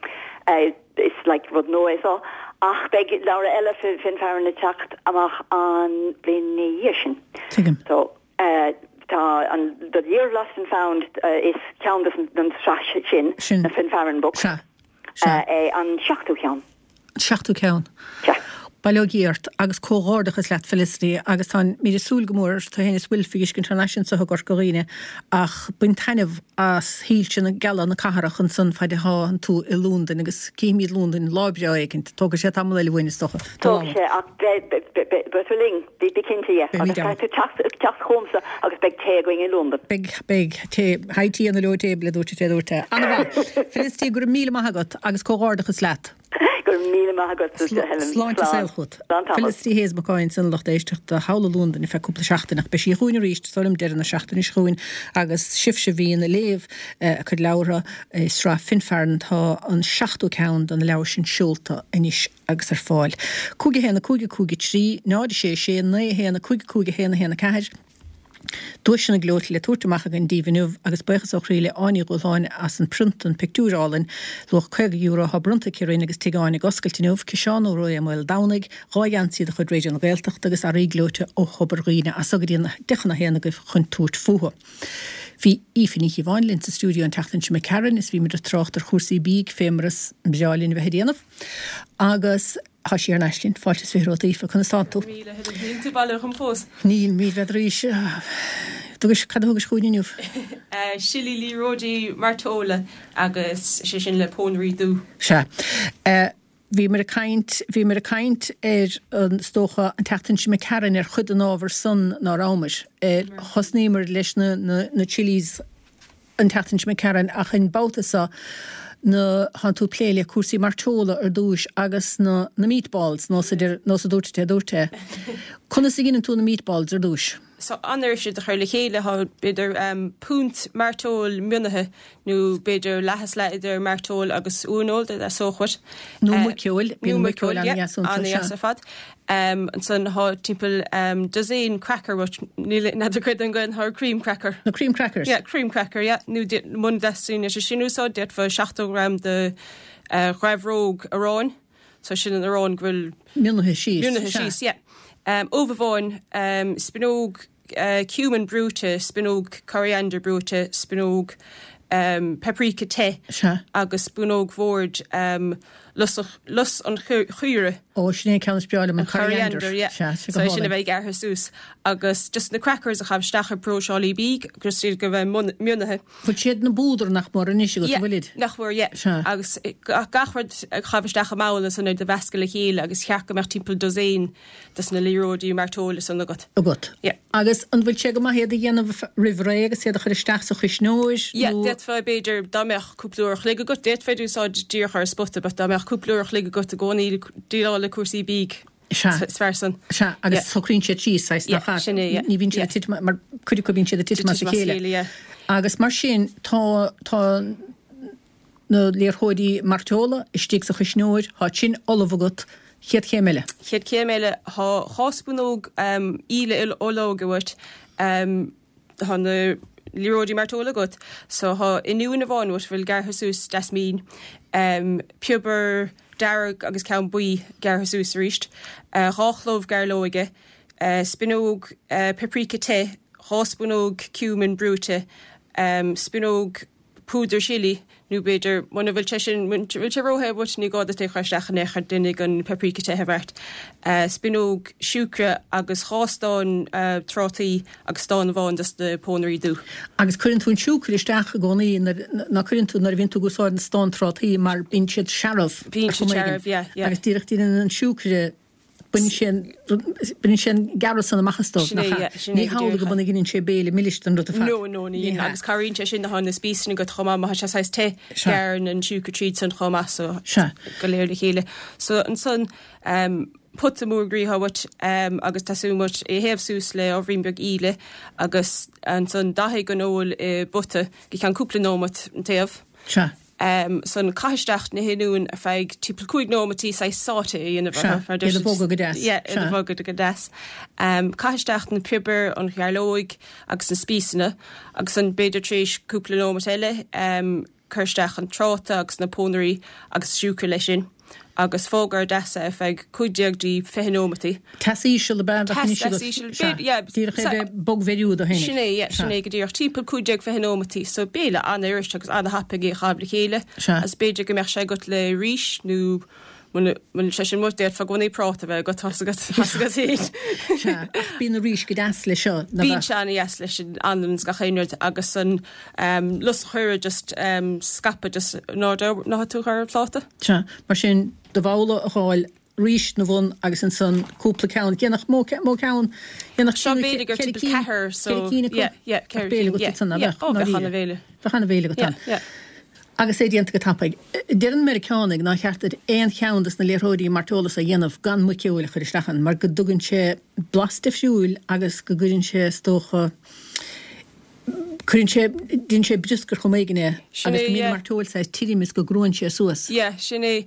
uh, is like rud nua é so. Ach beidh leabhar eile Finfearann ag teacht amach an bhliain ina dhiaidh sin. Tuigim. So, uh, tá an The Year of Lost and Found uh, is ceann den tsraith sin, Sin. na Finfearann books. Sea. Sea. Uh, é an seachtú ceann. Seachtú ceann. Sea. Bail ó Dhia ort agus comhghairdeachas leat Felicity agus táimid ag súil go mór tú féin is Wilf a fheiscint thar n-ais anseo i gCorca Dhuibhne ach bain taitneamh as shoilse na geala na cathrach ansan fad atá tú i Londain agus cífimid Londain lá breá éicint. Tógfaidh sé tamall eile uainn is dócha. Tógfaidh sé ach beidh tú linn, bí cinnte dhe. Agus caithfidh tú teacht chugamsa agus beidh tae againn i Londain. Beidh, beidh tae, high tea on the low table a dúirt a dúirt. Ana-mhaith. Felicity, go raibh míle maith agat agus comhghairdeachas leat. Go raibh míle maith agat Helen. Sláinte saoil chugat. Felicity Hayes McCoy ansin lucht éisteachta thall i Londain ar feadh cúpla seachtain ach beidh sí chugainn arís is dóigh liom deireadh na seachtaine seo chugainn agus sibhse a bhíonn ag léamh a cuid leabhartha i sraith Finfearann tá an seachtú ceann de na leabhair sin seolta anois agus ar fáil. Cúig a haon a cúig a cúig a trí, náid a sé a sé, naoi a haon a cúig a cúig a haon a haon a ceathair. Duaiseanna gleoite le tabhairt amach againn daoibh inniu agus buíochas ó chroí le Áine Ní Dhúshláin as an prionta an pictiúr álainn, luach caoga euro atá bronnta aici orainn agus Tigh Áine ag oscailt inniu, ciseán ó Ré Maoldomhnaigh, dhá gheansaí de chuid Raidió na Gaeltachta agus earraí gleoite ó Thobar Dhuibhne as so go dtí an deich chun a haon agaibh chun tabhairt fúthu. Bhí Aoife Ní Chíobháin linn sa stiúideo an tseachtain seo imigh tharainn is bhí muid ag trácht ar chúrsaí bídh fé mar is breá linn a bheith ag déanamh. Agus tá sí ar ais linn, fáilte is fiche romhat Aoife, conas tánn tú? Míle Helen, níl tú bailithe chun fós. Níl, míl bheith arís. Dugais cad a thugais chugainn inniu? Sillí liathróidí mairteola agus sé sin le pónairí dubha. Sea. Bhíomar ag caint, bhíomar ag caint ar an is dócha an tseachtain seo imigh tharainn ar chuid den ábhar san ná rabhamar. Thosnaíomar leis na, na, na chilies an tseachtain seo imigh tharainn ach an babhta seo na thánn tú ag plé le cúrsaí mairteola ar dtúis agus na, na meatballs nós a deir, nós a dúirt é, dúirt é. Conas a dhéanann tú na meatballs ar dtúis? So an-fhuirist a chur le chéile thá b'fhéidir um, púnt mairteoil mionaithe nó b'fhéidir leath is leath idir mairteoil agus uaineoil de sóchmhat. Nó muiceoil, nó muiceoil, yeah, an-dheas ar fad. Um, ansan thá timpeall um, dozen cracker uait, níl n'fheadar cad an Gaeilge ar cream cracker. Na cream crackers? Yeah, cream cracker, yeah. Nó muna dteastaíonn sé sin úsáid, d'fhéadfá seachtó gram de uh, ghrabhróg aráin. So sin an arán go bhfuil Mionaithe síos. Mionaithe síos, yeah. Um, ubh amháin, um, spinóg uh, cumin brúite, spinóg coriander brúite, spinóg um, paprika te Sea. agus spúnóg bhoird um, lus, lus an chaoire. Ó sin é ceann is breá liom an coriander, coriander. yeah. Sea, sé go So sin a hálainn. bheith gearrtha suas agus just na crackers a chaitheamh isteach ar próiseálaí bídh agus iad go bheith mun- mionaithe. Bhfuil siad na búdar nach mór anois agat, Yeah, bhfuilid? nach bhfuil, yeah. Sea. Agus eh, gach gach rud a chaitheamh isteach i mbabhla san a mheascadh le chéile agus cheart go mbeadh timpeall dosaen des na liathróidí mairteola san agat. Agat. Yeah. Agus an bhfuil sé go maith iad a dhéanamh roimh ré agus iad a chur isteach sa chuisneoir? Yeah, nó- d'fhéadfá b'fhéidir dá mbeadh cúpla uair a chloig agat, d'fhéadfá úsáid díreach ar spota, but dá mbeadh cúpla uair a chloig agat i gcónaí déileáil le cúrsaí bídh. Sea. Is fearr san. Sea, agus Yeah. socraíonn siad síos, saghas, Yeah, nach ea? sin é, yeah. Ní bhíonn siad Yeah. ag titim mar cuid acu bíonn siad ag titim as a Titim as a chéile. chéile, yeah. Agus mar sin tá tá na liathróidí mairteola istigh sa chuisneoir, tá sin ullamh agat, chéad chéim eile. Chéad chéim eile thá dhá spúnóg um, íle olóige uait um, thá na liathróidí mairteola agat, so thá oinniún amháin uait bhfuil gearrtha suas deas mín, um, piobar dearg agus ceann buí gearrtha suas arís, uh, dhá chlóibh gairleoige, uh, spinóg uh, paprika te, dhá spúnóg cumin brúite, um, spúnóg púdar chili, nó b'fhéidir muna bhfuil sé sin muna bhfuil sé róthe but ní gá duit é chur isteach in aon chor déanfaidh an paprika te a bheart. Uh, spinóg siúcra agus dhá stán uh, trátaí agus stán amháin des na pónairí dubha. Agus cuireann tú an siúcra isteach i gcónaí nuair- ná cuireann tú nuair a bhíonn tú ag úsáid an stán trátaí mar bíonn siad searbh. Bíonn ar siad chuma éigin. searbh, yeah, yeah. Agus díreach déanann an siúcra baineann sé baineann sé an gearradh san amach as dóibh, Sin é, nach ea? yeah, sin é Ní go hamhlaidh go díreach. bhfuil gin sé béile milis den rud ar fad. No, no, ní Ní hea. agus cabhraíonn sé sin na na spíosraí go chomh maith má tá sé saghas te Sea. gearrann an siúcra tríd san chomh maith so Sea. go léir le chéile. So ansan um, Pota mór groí uait um, agus teastaíonn uait é théamh suas le ábhairín beag íle agus ansan dathaigh an fheoil i bpota go ceann cúpla nóiméad an taobh. Sea. Um, san caith isteach na hoinniúin ar feadh timpeall cúig nóiméidí saghas sauté a dhéanamh Sea, orthu, mar iad a bhogadh go deas. Yeah, iad a Sea. bhogadh go deas. Um, caith isteach na piobair, an ghairleog agus na spíosana agus an b'fhéidir tar éis cúpla nóiméad eile um, cuir isteach an tráta agus na pónairí agus siúcra leis sin. Agus fág ar deasa ar feadh cúig déag dtí fiche nóiméidí. Teas íseal ab ea bheadh Teas- anois teas agat. íseal, Sea. b'fhéidir, yeah, Díreach é sa- bheith bogmheiriú do fhéinig. Sin é, yeah, sin é go díreach timpeall cúig déag fiche nóiméidí, so béile an-fhuirist agus an-thapaidh é a chaitheamh le chéile. Sea. Agus b'fhéidir go mbeadh sé agat le rís nó muna sé sin muid d'fhéadfá i gcónaí práta bheith agat tá agat tá agat féin. Sea, ach bíonn na rís go deas le seo. na Bíonn bheith- sé an-deas leis an anlann is gach aon rud agus an um, lus chuire just um, scaipeadh just ná ná tú ar an phláta. Sea, mar sin do bhabhla a fháil rís na bhun agus ansan cúpla ceann. Dhéanfadh mó ce- mó ceann dhéanfadh Seo trí- b'fhéidir gur ceithre timpeall cinn- ceathair, so ceithre cinn acu. yeah, yeah, ceithre B'fhéidir cinn, go yeah, san yeah, ó, bheadh an-bhéile. Bheadh an-bhéile agat Yeah, ann. yeah. Agus é déanta go tapaidh. Deir na Meiriceánaigh nár cheart duit aon cheann des na liathróidí mairteola a dhéanamh gan muiceoil a chur isteach ann, mar go dtugann sé blas difriúil agus go gcuireann sé is dócha cuireann sé déanann sé brioscar chomh maith é Sin agus é, go mbíonn yeah. mairteoil saghas tirim is go gcruann sé suas. Yeah, sin é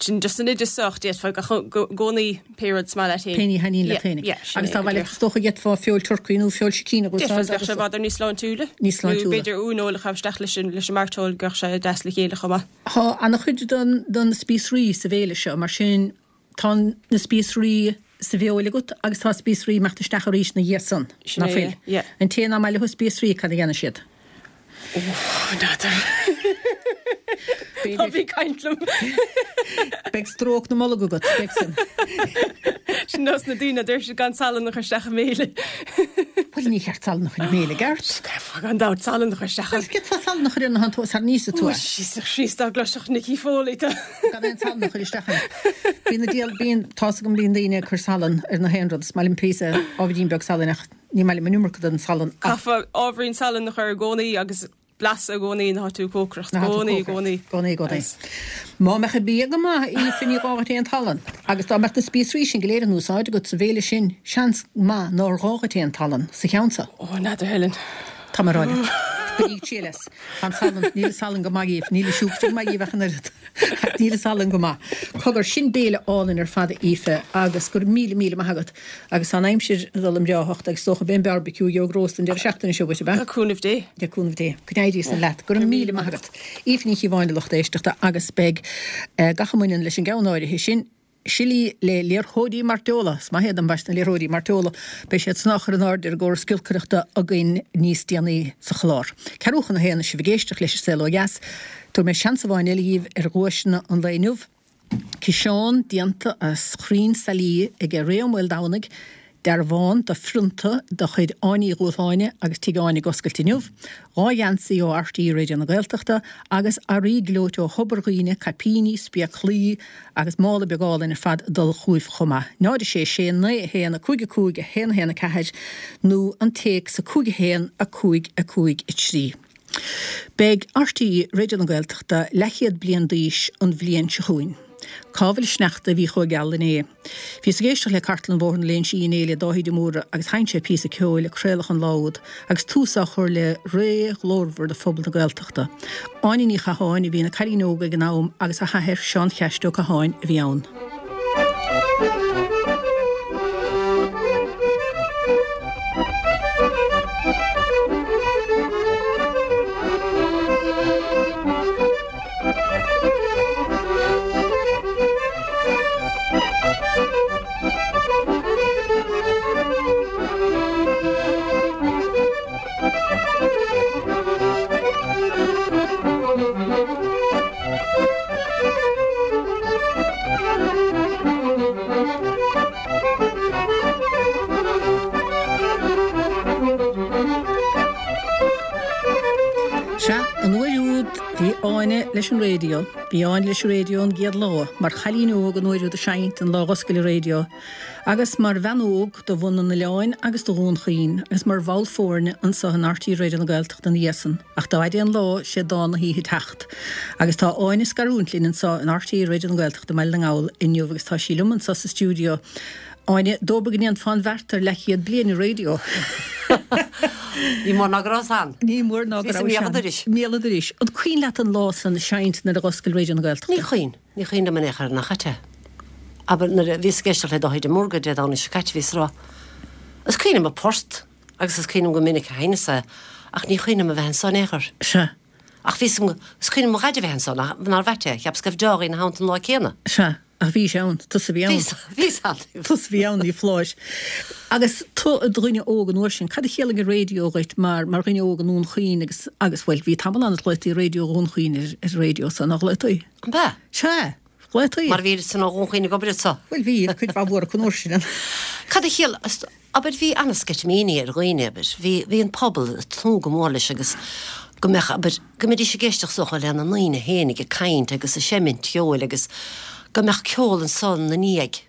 sin just an oideas sách d'fhéadfá i gcónaí pé rud is maith leat féin. Pé ní a thaitníonn leat Yeah, féinig. yeah, sin Agus é tá go bhaile díreach. is dócha d'fhéadfá feoil turcaí nó feoil sicín agus D'fhéadfá bheadh sé i bhfad níos sláintiúla. Níos sláintiúla. Nó b'fhéidir uaineoil a chaitheamh isteach leis an leis an mairteoil go sé deas le chéile chomh maith. Tá an-chuid don don spíosraí sa bhéile seo, mar sin tá na spíosraí sa bhfeoil agat agus tá spíosraí ag imeacht isteach arís ina dhiaidh san Sin ná é, fuil. yeah. An té nach maith leo spíosraí cad a dhéanann siad. N'fheadar. Tá bí caint liom. Beidh stróc na mbolg agat, beidh sin. Sin nós na daoine deir siad gan salann a chur isteach i mbéile. Bhuel ní cheart salann a chur i mbéile gceart. Gan dabht salann a chur isteach. Bhuel d'fhéadfá salann a chur ar na han sar níos tú. Síos dá gcloisfeadh Nicky Foley tá. Gan aon salann a chur isteach ann. Bíonn na díol bíonn tá go mbíonn daoine ag cur salann ar na haon rud, is maith liom píosa ábhairín beag salainn ach ní maith liom an iomarca den salann. ach Caithfear ábhairín salann a chur i gcónaí agus blas i gcónaí nuair atá tú ag cócaireacht. Na Gcónaí, gcónaí. Gcónaí, gcónaí. Má mbeadh an bia go maith Aoife ní gá duit aon tsalann, agus dá mbeadh na spíosraí sin go léir in úsáid agat sa bhéile sin seans maith nár ghá duit aon tsalann sa cheann seo. Ó, n'fheadar Helen. Tá mar ráile. Bíodh síles. An salann, níl salann go maith Aoife, níl siúcra go maith Aoife ach an oiread. Níl salann go maith. Cogar sin béile álainn ar fad Aoife agus gur míle míle maith agat agus an aimsir dul i mbreáthacht agus dócha b'in barbecue gheobhaidh roast an deireadh seachtaine seo dhuit, ab ea? Tá cúnamh Dé. De cúnamh Dé. Go n-éirí san leat, gur míle maith agat. Aoife Ní Chíobháin a lucht éisteachta agus beidh eh, gach a mbaineann leis an gceann áirithe sin Sillí le liathróidí mairteola, is maith iad an baiste na liathróidí mairteola, beidh siad san á chur in airde ar an gcóras giolcaireachta againn níos déanaí sa chlár. Ceathrú chun a haon sibh ag éisteacht leis an Saol Ó Dheas, tabharfaidh mé seans amháin eile dhíbh ar dhuaiseanna an lae inniu. Ciseán déanta as crainn sailí ag Ray Ó Maoldomhnaigh, dearbhán de phrionta de chuid Áine Uí Dhúshláine agus Tigh Áine ag oscailt inniu, dhá gheansaí ó R T É Raidió na Gaeltachta agus earraí gleoite ó Thobar Dhuibhne, caipíní, spéaclaí agus mála beag álainn ar fad dul chugaibh chomh maith. Náid a sé sé naoi a haon a cúig a cúig a haon a haon a ceathair nó an téacs a cúig a haon a cúig a cúig a trí. Beidh R T É Raidió na Gaeltachta leathchéad bliain d'aois an bhliain seo chugainn. Cá bhfuil sneachta a bhí chomh geal inné. Bhíos ag éisteacht le Cartlann Bhóthar na Léinsí inné le Dáithí de Mórdha agus sheinn sé píosa ceoil a craoladh an lá úd agus tús á chur le ré ghlórmhar do phobal na Gaeltachta. Áine Ní Chatháin a bhí ina cailín óg ag an am agus a hathair Seán Cheaist Ó Catháin a bhí ann. Sea, an uair úd úd, bhí Áine leis an raidió. Bhí Áine leis an raidió ón gcéad lá, mar chailín óg an uair úd ag seinnt an lá a dh'oscail an raidió, agus mar bhean óg do bhunadh an oileáin agus do Dhún Chaoin, agus mar bhall foirne anso in RTÉ Raidió na Gaeltachta ina dhiaidh san. Ach dá fhaide an lá, sé dán na hoíche teacht. Agus tá Áine ag scarúint linn anso in RTÉ Raidió na Gaeltachta i mBaile na nGall inniu agus tá sí liom anso sa stiúideo. Áine, dóbair go ndéanfá an bheart ar leathchéad bliain ar raidió. Ní mór ná go rabhas ann. Ní mór ná go Bhíos i rabhais mbéal an ann. dorais. Mbéal an dorais. An cuimhin leat an lá san ag seinnt nuair a dh'oscail Raidió na Gaeltachta? Ní cuimhin. Ní cuimhin liom in aon chor nach ait é. Abair, nuair a bhíos ag éisteacht le Dáithí de Mórdha Dé Domhnaigh seo caite bhíos ag rá, Is cuimhin liom an port agus is cuimhin liom go minic a sheinneas é ach ní cuimhin liom a bheith anso in aon chor. Sea. Ach bhíos agam, is cuimhin liom mo dhaid a bheith anso, nár ait é, cheapas go raibh Dáithí ina theannta an lá céanna. Sea. Ach bhís ann, tusa a bhí ann. Bhíos, bhíos ann. Tusa a bhí ann, ní foláir. Agus tú i do dhuine óg an uair sin, cad a chiallaigh an raidió dhuit mar, mar dhuine óg i nDún Chaoin agus, agus, bhuel, bhí tamall ann a ghlaotaí Raidió Dhún Chaoin ar, ar an raidió so, ná glaotaí? An b'ea? Sea, ghlaotaí. Mar bhí san ó Dhún Chaoin ag obair anso. Bhuel, bhí, cuid mhaith mhór acu an uair sin. Cad a chiallaigh, Abair, bhí an-sceitimíní ar dhaoine, abair, bhí, bhí an pobal ag tnúth go mór leis agus go mbeadh, abair, go mbeidís ag éisteacht is dócha lena ndaoine fhéinig ag caint agus ag seimint cheoil agus go mbeadh ceol ansan 'na ndiaidh.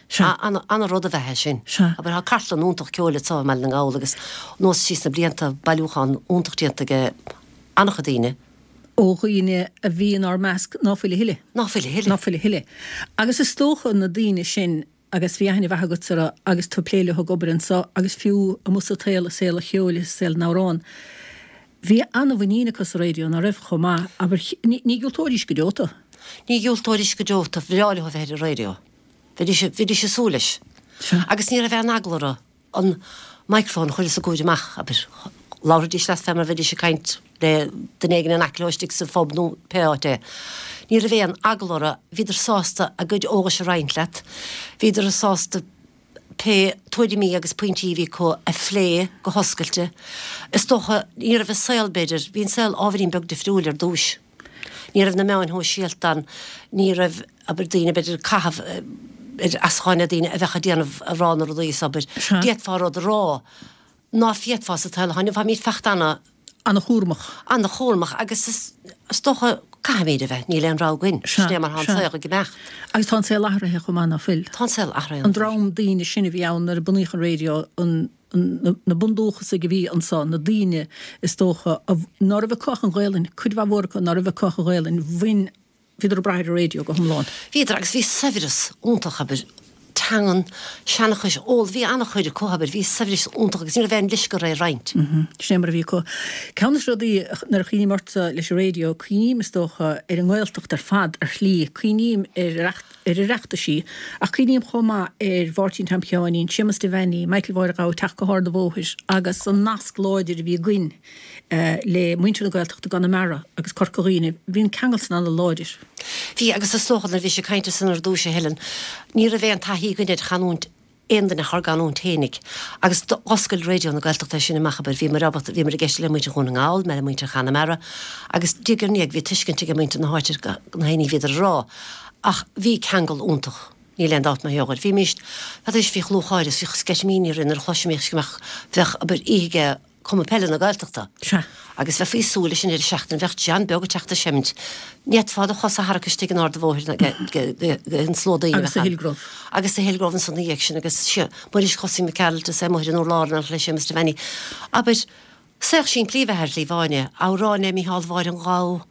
Sea. Ana, ana-rud a bheith é sin. Sea. Abair, tá cartlann iontach ceoil anso i mBaile na nGall agus anuas síos na blianta, bailiúchán iontach déanta ag an-chuid daoine. Ó dhaoine a bhí inár measc ná fuil a thuilleadh. Ná fuil a thuilleadh. Ná fuil a thuilleadh. Agus is dócha na daoine sin Agus bhí aithne mhaith agatsa orthu agus tú ag plé leo ag obair anso agus fiú amuigh sa tsaol, i saol an cheoil is i saol na n-amhrán. Bhí an-mhuinín acu sa raidió, ná raibh, chomh maith? Abair, ní dhiúltóidís go deo tú. Ní dhiúltóidís go deo tú. Bhreá leo a bheith ar an raidió. Bheidís, bhídís ag súil leis. Sea. Agus ní raibh aon eagla orthu an microphone a chur os a gcomhair amach, abair. Labhraidís leat fé mar a bheidís ag caint le duine éigin in aice leo istigh sa phub nó pé áit é. Ní raibh aon eagla orthu, bhíodar sásta a gcuid eolais a roinnt leat, bhíodar sásta pé tuairimí agus pointí a bhí acu a phlé go hoscailte. Is dócha, ní raibh an saol, b'fhéidir, bhí an saol ábhairín beag difriúil ar dtúis. Ní raibh na meáin shóisialta ann, ní raibh, abair, daoine, b'fhéidir, ag caitheamh ar ascháin le daoine a bheadh ag déanamh, ag rá na rudaí is, abair, d'fhéadfá rud a rá. ná féadfá sa tsaol atá inniu. Táimid fachta ana. Ana-chúramach. Ana-chúramach agus is dócha caithfimid a bheith, níl aon rogha againn. Sea, Sin é mar tá an sea. saol ag imeacht. Agus tá an saol athraithe chomh maith, ná fuil? Tá an saol athraithe An an-mhór. dream daoine sin a bhí ann nuair a bunaíodh an raidió, an, an, na bundúchasaigh a bhí anso, na daoine is dócha a, ná raibh acu ach an Ghaelainn, cuid mhaith mhór acu ná raibh acu ach an Ghaelainn, bhain, Bhíodar ag brath ar an raidió go hiomlán. Bhíodar, agus bhí saibhreas iontach, abair, teangan, seanchais, ól, bhí an-chuid acu, abair, bhí saibhreas iontach agus ní raibh aon leisce orthu é a roinnt. Sin é mar a bhí acu. Ceann de na rudaí, nuair a chuimhním ortsa leis an raidió, cuimhním, is dócha, ar an nGaeltacht ar fad, ar shlí, cuimhním ar ar Oireachtaisí, ach cuimhním chomh maith ar Mháirtín Tom Sheáinín, Séamus Devaney, Michael Mháire Ghabha ag teacht go hArd an Bhóthair agus an nasc láidir a bhí againn le muintir na Gaeltachta i gConamara agus Corca Dhuibhne, bhí an ceangal san an-láidir. Bhí, agus is dócha nuair a bhís ag caint ansan ar dtúis, a Helen, ní raibh aon taithí againn ar chanúint aon duine ach ár gcanúint fhéinig. Agus d'oscail Raidió na Gaeltachta é sin amach, abair, bhíomar ábalta, bhíomar ag éisteacht le muintir Dhún na nGall, le muintir Chonamara, agus diaidh ar ndiaidh bhí tuiscint ag muintir na háite ar na haon ní a bhíodar a rá. Ach bhí ceangal iontach, níl aon dabht mar gheall air. Bhímíst, n'fheadar, bhíodh lúcháir is bhíodh sceitimíní orainn nuair a chloisimís go mbeadh, bheadh, abair, oíche ag Cumann Peile na Gaeltachta. Sea. Agus bheifí ag súil leis an deireadh seachtaine, bheadh John Beag ag teacht ag seimint. Ní fhéadfá do chosa a tharrac istigh in Ard a' Bhóthair den slua daoine a Agus bheadh sa ann. Hillgrove. Agus sa Hillgrove ansan ina dhiaidh sin agus sea, Muiris Chosaí McArdle is é amuigh ar an urlár in éineacht le Séamus Devaney. Abair, saol simplí a bheith ar Shlí Bháine, amhráin le Mícheál Mháire an Ghabha,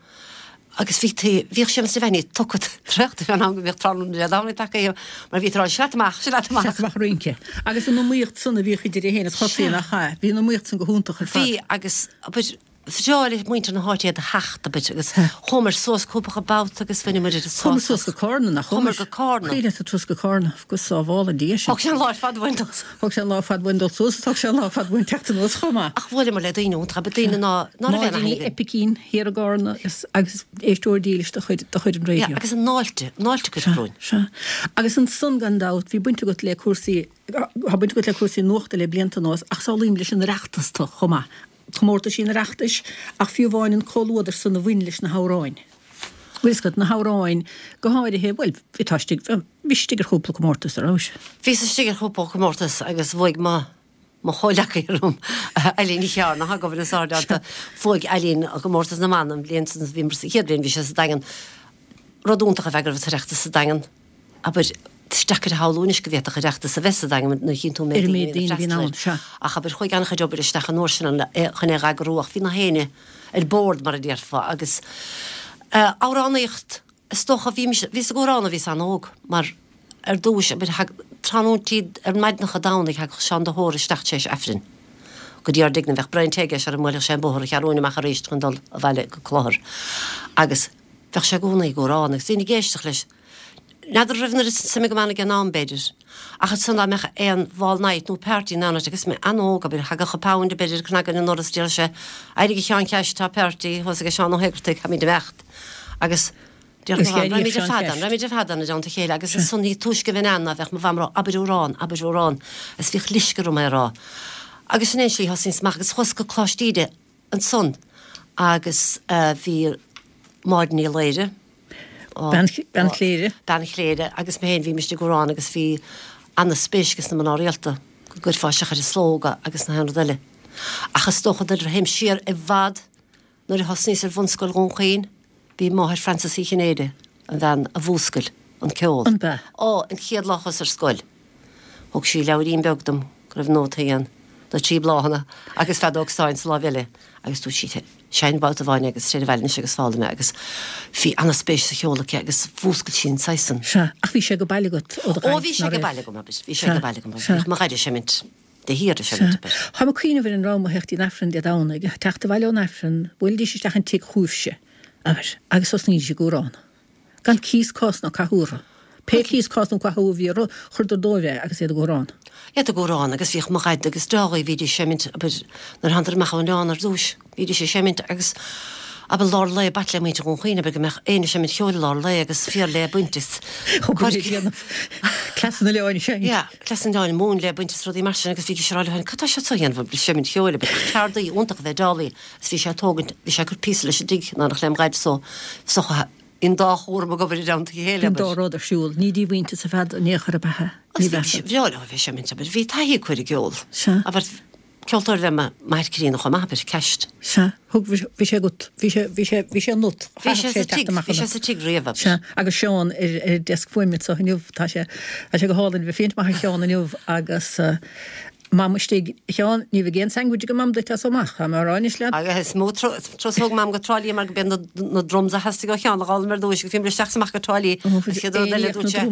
Agus bhí tí, bhíodh Séamus Devaney tugtha traochta fén am go mbíodh tráthnóna Dé Domhnaigh tagtha aige mar bhí tú ag rá 'Sea leat amach, sea leat amach'. Sea leat amach ag rince. Agus an iomaíocht san a bhíodh idir é féin is Chosaí, nach ea? Bhí an iomaíocht san go hiontach ar fad. Bhí agus, abair, bhreá le muintir na háite iad a theacht, abair, agus chuamar suas cúpla babhta agus bhaineamar oiread Chuamar sásamh. suas go Cárna, nach Chuamar chuamar? go Cárna. Cuimhin leat an turas go Cárna, go sábhála Dia sinn. Thóg sé an lá ar fad uainn dul. Thóg sé an lá ar fad uainn dul suas, thóg sé an lá ar fad uainn teacht anuas chomh maith. Ach bhuaileamar le daoine iontacha, abair, daoine ná, ná raibh aon Máirín aithne Uí againn. Oipicín thiar i gCárna is, agus éisteoir dílis de chuid, de chuid an Yeah, raidió. agus an fháilte, an fháilte a cuireadh Sea, romhainn. sea. Agus ansan gan dabht, bhí baint agat le cúrsaí, tá baint agat le cúrsaí nuachta le blianta anuas, ach samhlaím leis an Oireachtas tu chomh maith. Comórtaisí an Oireachtais, ach fiú amháin an comhluadar san a bhain leis na hamhráin. Bhfuil fhios agat, na hamhráin, go háirithe, bhuel, bhí, tá istigh, bhís istigh ar chúpla comórtas, a raibh? Bhíos istigh ar chúpla comórtas agus bhuaigh mo, mo chomhleacaí orm, Eileen Ní Chearna, atá ag obair in Sár-Deanta, bhuaigh Eileen an comórtas na mban an bhliain san, bhí sa chéad bhliain bhí sé sa Daingean. Rud iontach a bheith go raibh an tOireachtas sa Daingean, abair, is deacair a shamhlú anois go bhféadfadh Oireachtas a bheith sa Daingean nuair a chíonn tú an méid daoine a bhíonn ag freastal air. Ach abair, chuaigh an-chuid obair isteach an uair sin chun é a eagrú ach bhí na héinne ar bord mar a déarfá agus amhránaíocht is dócha bhí mise, bhíos ag amhrán ó bhíos an-óg mar ar dtúis abair thag tráthnóintí ar maidneacha Domhnaigh thagadh Seán de hÓra isteach tar éis Aifrinn go dtí ár dtigh-ne bheadh braon tae aige sara mbuailfeadh sé an bóthar an Cheathrúin amach arís chun dul abhaile go Clochar agus bheadh sé i gcónaí ag amhrán agus bhínn ag éisteacht leis. N'fheadar raibh an oiread suim agam ann ag an am, b'fhéidir, ach ansan dá mbeadh aon ball night nó party in aon áit agus mé an-óg, abair, thagadh an pound b'fhéidir ag cnagadh ar an ndoras, déarfadh sé, éirigh a Sheáin Cheais, tá party thuas ag Seán Ó hÉigeartaigh, caithfimid imeacht. Agus déarfadh mo mham, raghaimid ar fad ann, raghaimid ar fad ann i dteannta a chéile agus ansan ní túisce a bheinn ann ná bheadh mo mham ag rá, abair amhrán, abair amhrán, agus bhíodh leisce orm é a rá. Agus sin é an slí a thosnaíos amach agus chuas go Coláiste Íde ansan agus bhí Máire Ní Laoire, Bean Chléire. Bean Chléire agus mé féin, bhímist ag amhrán agus bhí ana-spéis ages na mná rialta go gcuirfeá isteach ar an Slógadh agus na haon rud eile. Ach is dócha nuair a théim siar i bhfad nuair a thosnaíos ar bhunscoil Dhún Chaoin, b'í máthair Frances Uí Chinnéide an bhean a mhúscail an ceol. An b'ea? Ó, an chéad lá a chuas ar scoil, thug sí leabhairín beag dom go raibh nótaí ann, na trí bláthanna agus feadóg stáin sa láimh eile agus dúirt sí, Seinn babhta amháin agus téir abhaile anois agus foghlaim é agus bhí ana-spéis sa cheol aici agus mhúscail sí an saghas san. Sea, ach bhí sé ag baile agat ó do Ó bhí sé ag baile agam, abair, bhí sé ag baile agam, abair, bhíodh mo dhaid ag seimint de shíor ag seimint, abair. Táim ag cuimhneamh ar an raibh mo theacht ón Aifreann Dé Domhnaigh, teacht abhaile ón Aifreann, bhuailidís isteach an tigh chugaibhse, abair, agus thosnaídís ag amhrán. Gan cíos, cás ná cathú orthu. Pé cíos, cás nó cathú a bhí orthu, chuireadar dóibh é agus iad ag amhrán. Iad ag amhrán agus bhíodh mo dhaid agus Dálaí, bhídís ag seimint, abair, nuair a thánadar amach ón oileán ar dtúis, bhídís ag seimint agus, abair, lár lae, b'ait le muintir Dhún Chaoin, abair, go mbeadh éinne ag seimint cheoil i lár lae agus fiar le baint is Cleas an oileáin a seinnt. Yeah, cleas an oileáin, móin le baint is rudaí mar sin agus bhídís ag rá leo féin, cad tá siad seo a dhéanamh, ag seimint cheoil, abair, ceardaí iontach ab ea Dálaí agus bhí sé ag tógaint, bhí sé ag cur píosa leis an dtigh in éineacht lem dhaid so, so An dá chúram ag obair i dteannta a chéile, An dá rud ar siúl. Ní díomhaointeas ar fad in aon chor ab ea? Ní bhreá leo a bheith ag seimint, abair. Bhí taithí acu ar an gceol. Sea. Abair, ceoltóir ab ea m'athair críonna chomh maith, abair, ceist. Sea. Thug, bhí sé agat, bhí sé, bhí sé, bhí sé ionat. Bhí sé sa tigh, bhí sé sa tigh riamh, abair. Sea. Agus Seán ar, ar deasc fuaime anseo inniu, tá sé, tá sé go hálainn a bheith ag féachaint amach ar Sheán inniu agus, Mam istigh, a Sheáin, ní bheidh aon sandwich ag Mam duit as so amach, tá mé á rá anois leat. Agus is mó turas a thóg Mam go Trá Lí mar go b'iad na drums a theastaigh ó Sheán a dh'fhoghlaim ar dtúis agus bhíomar isteach is amach go Trá Lí. Ó, An chéad rud eile dúirt sé,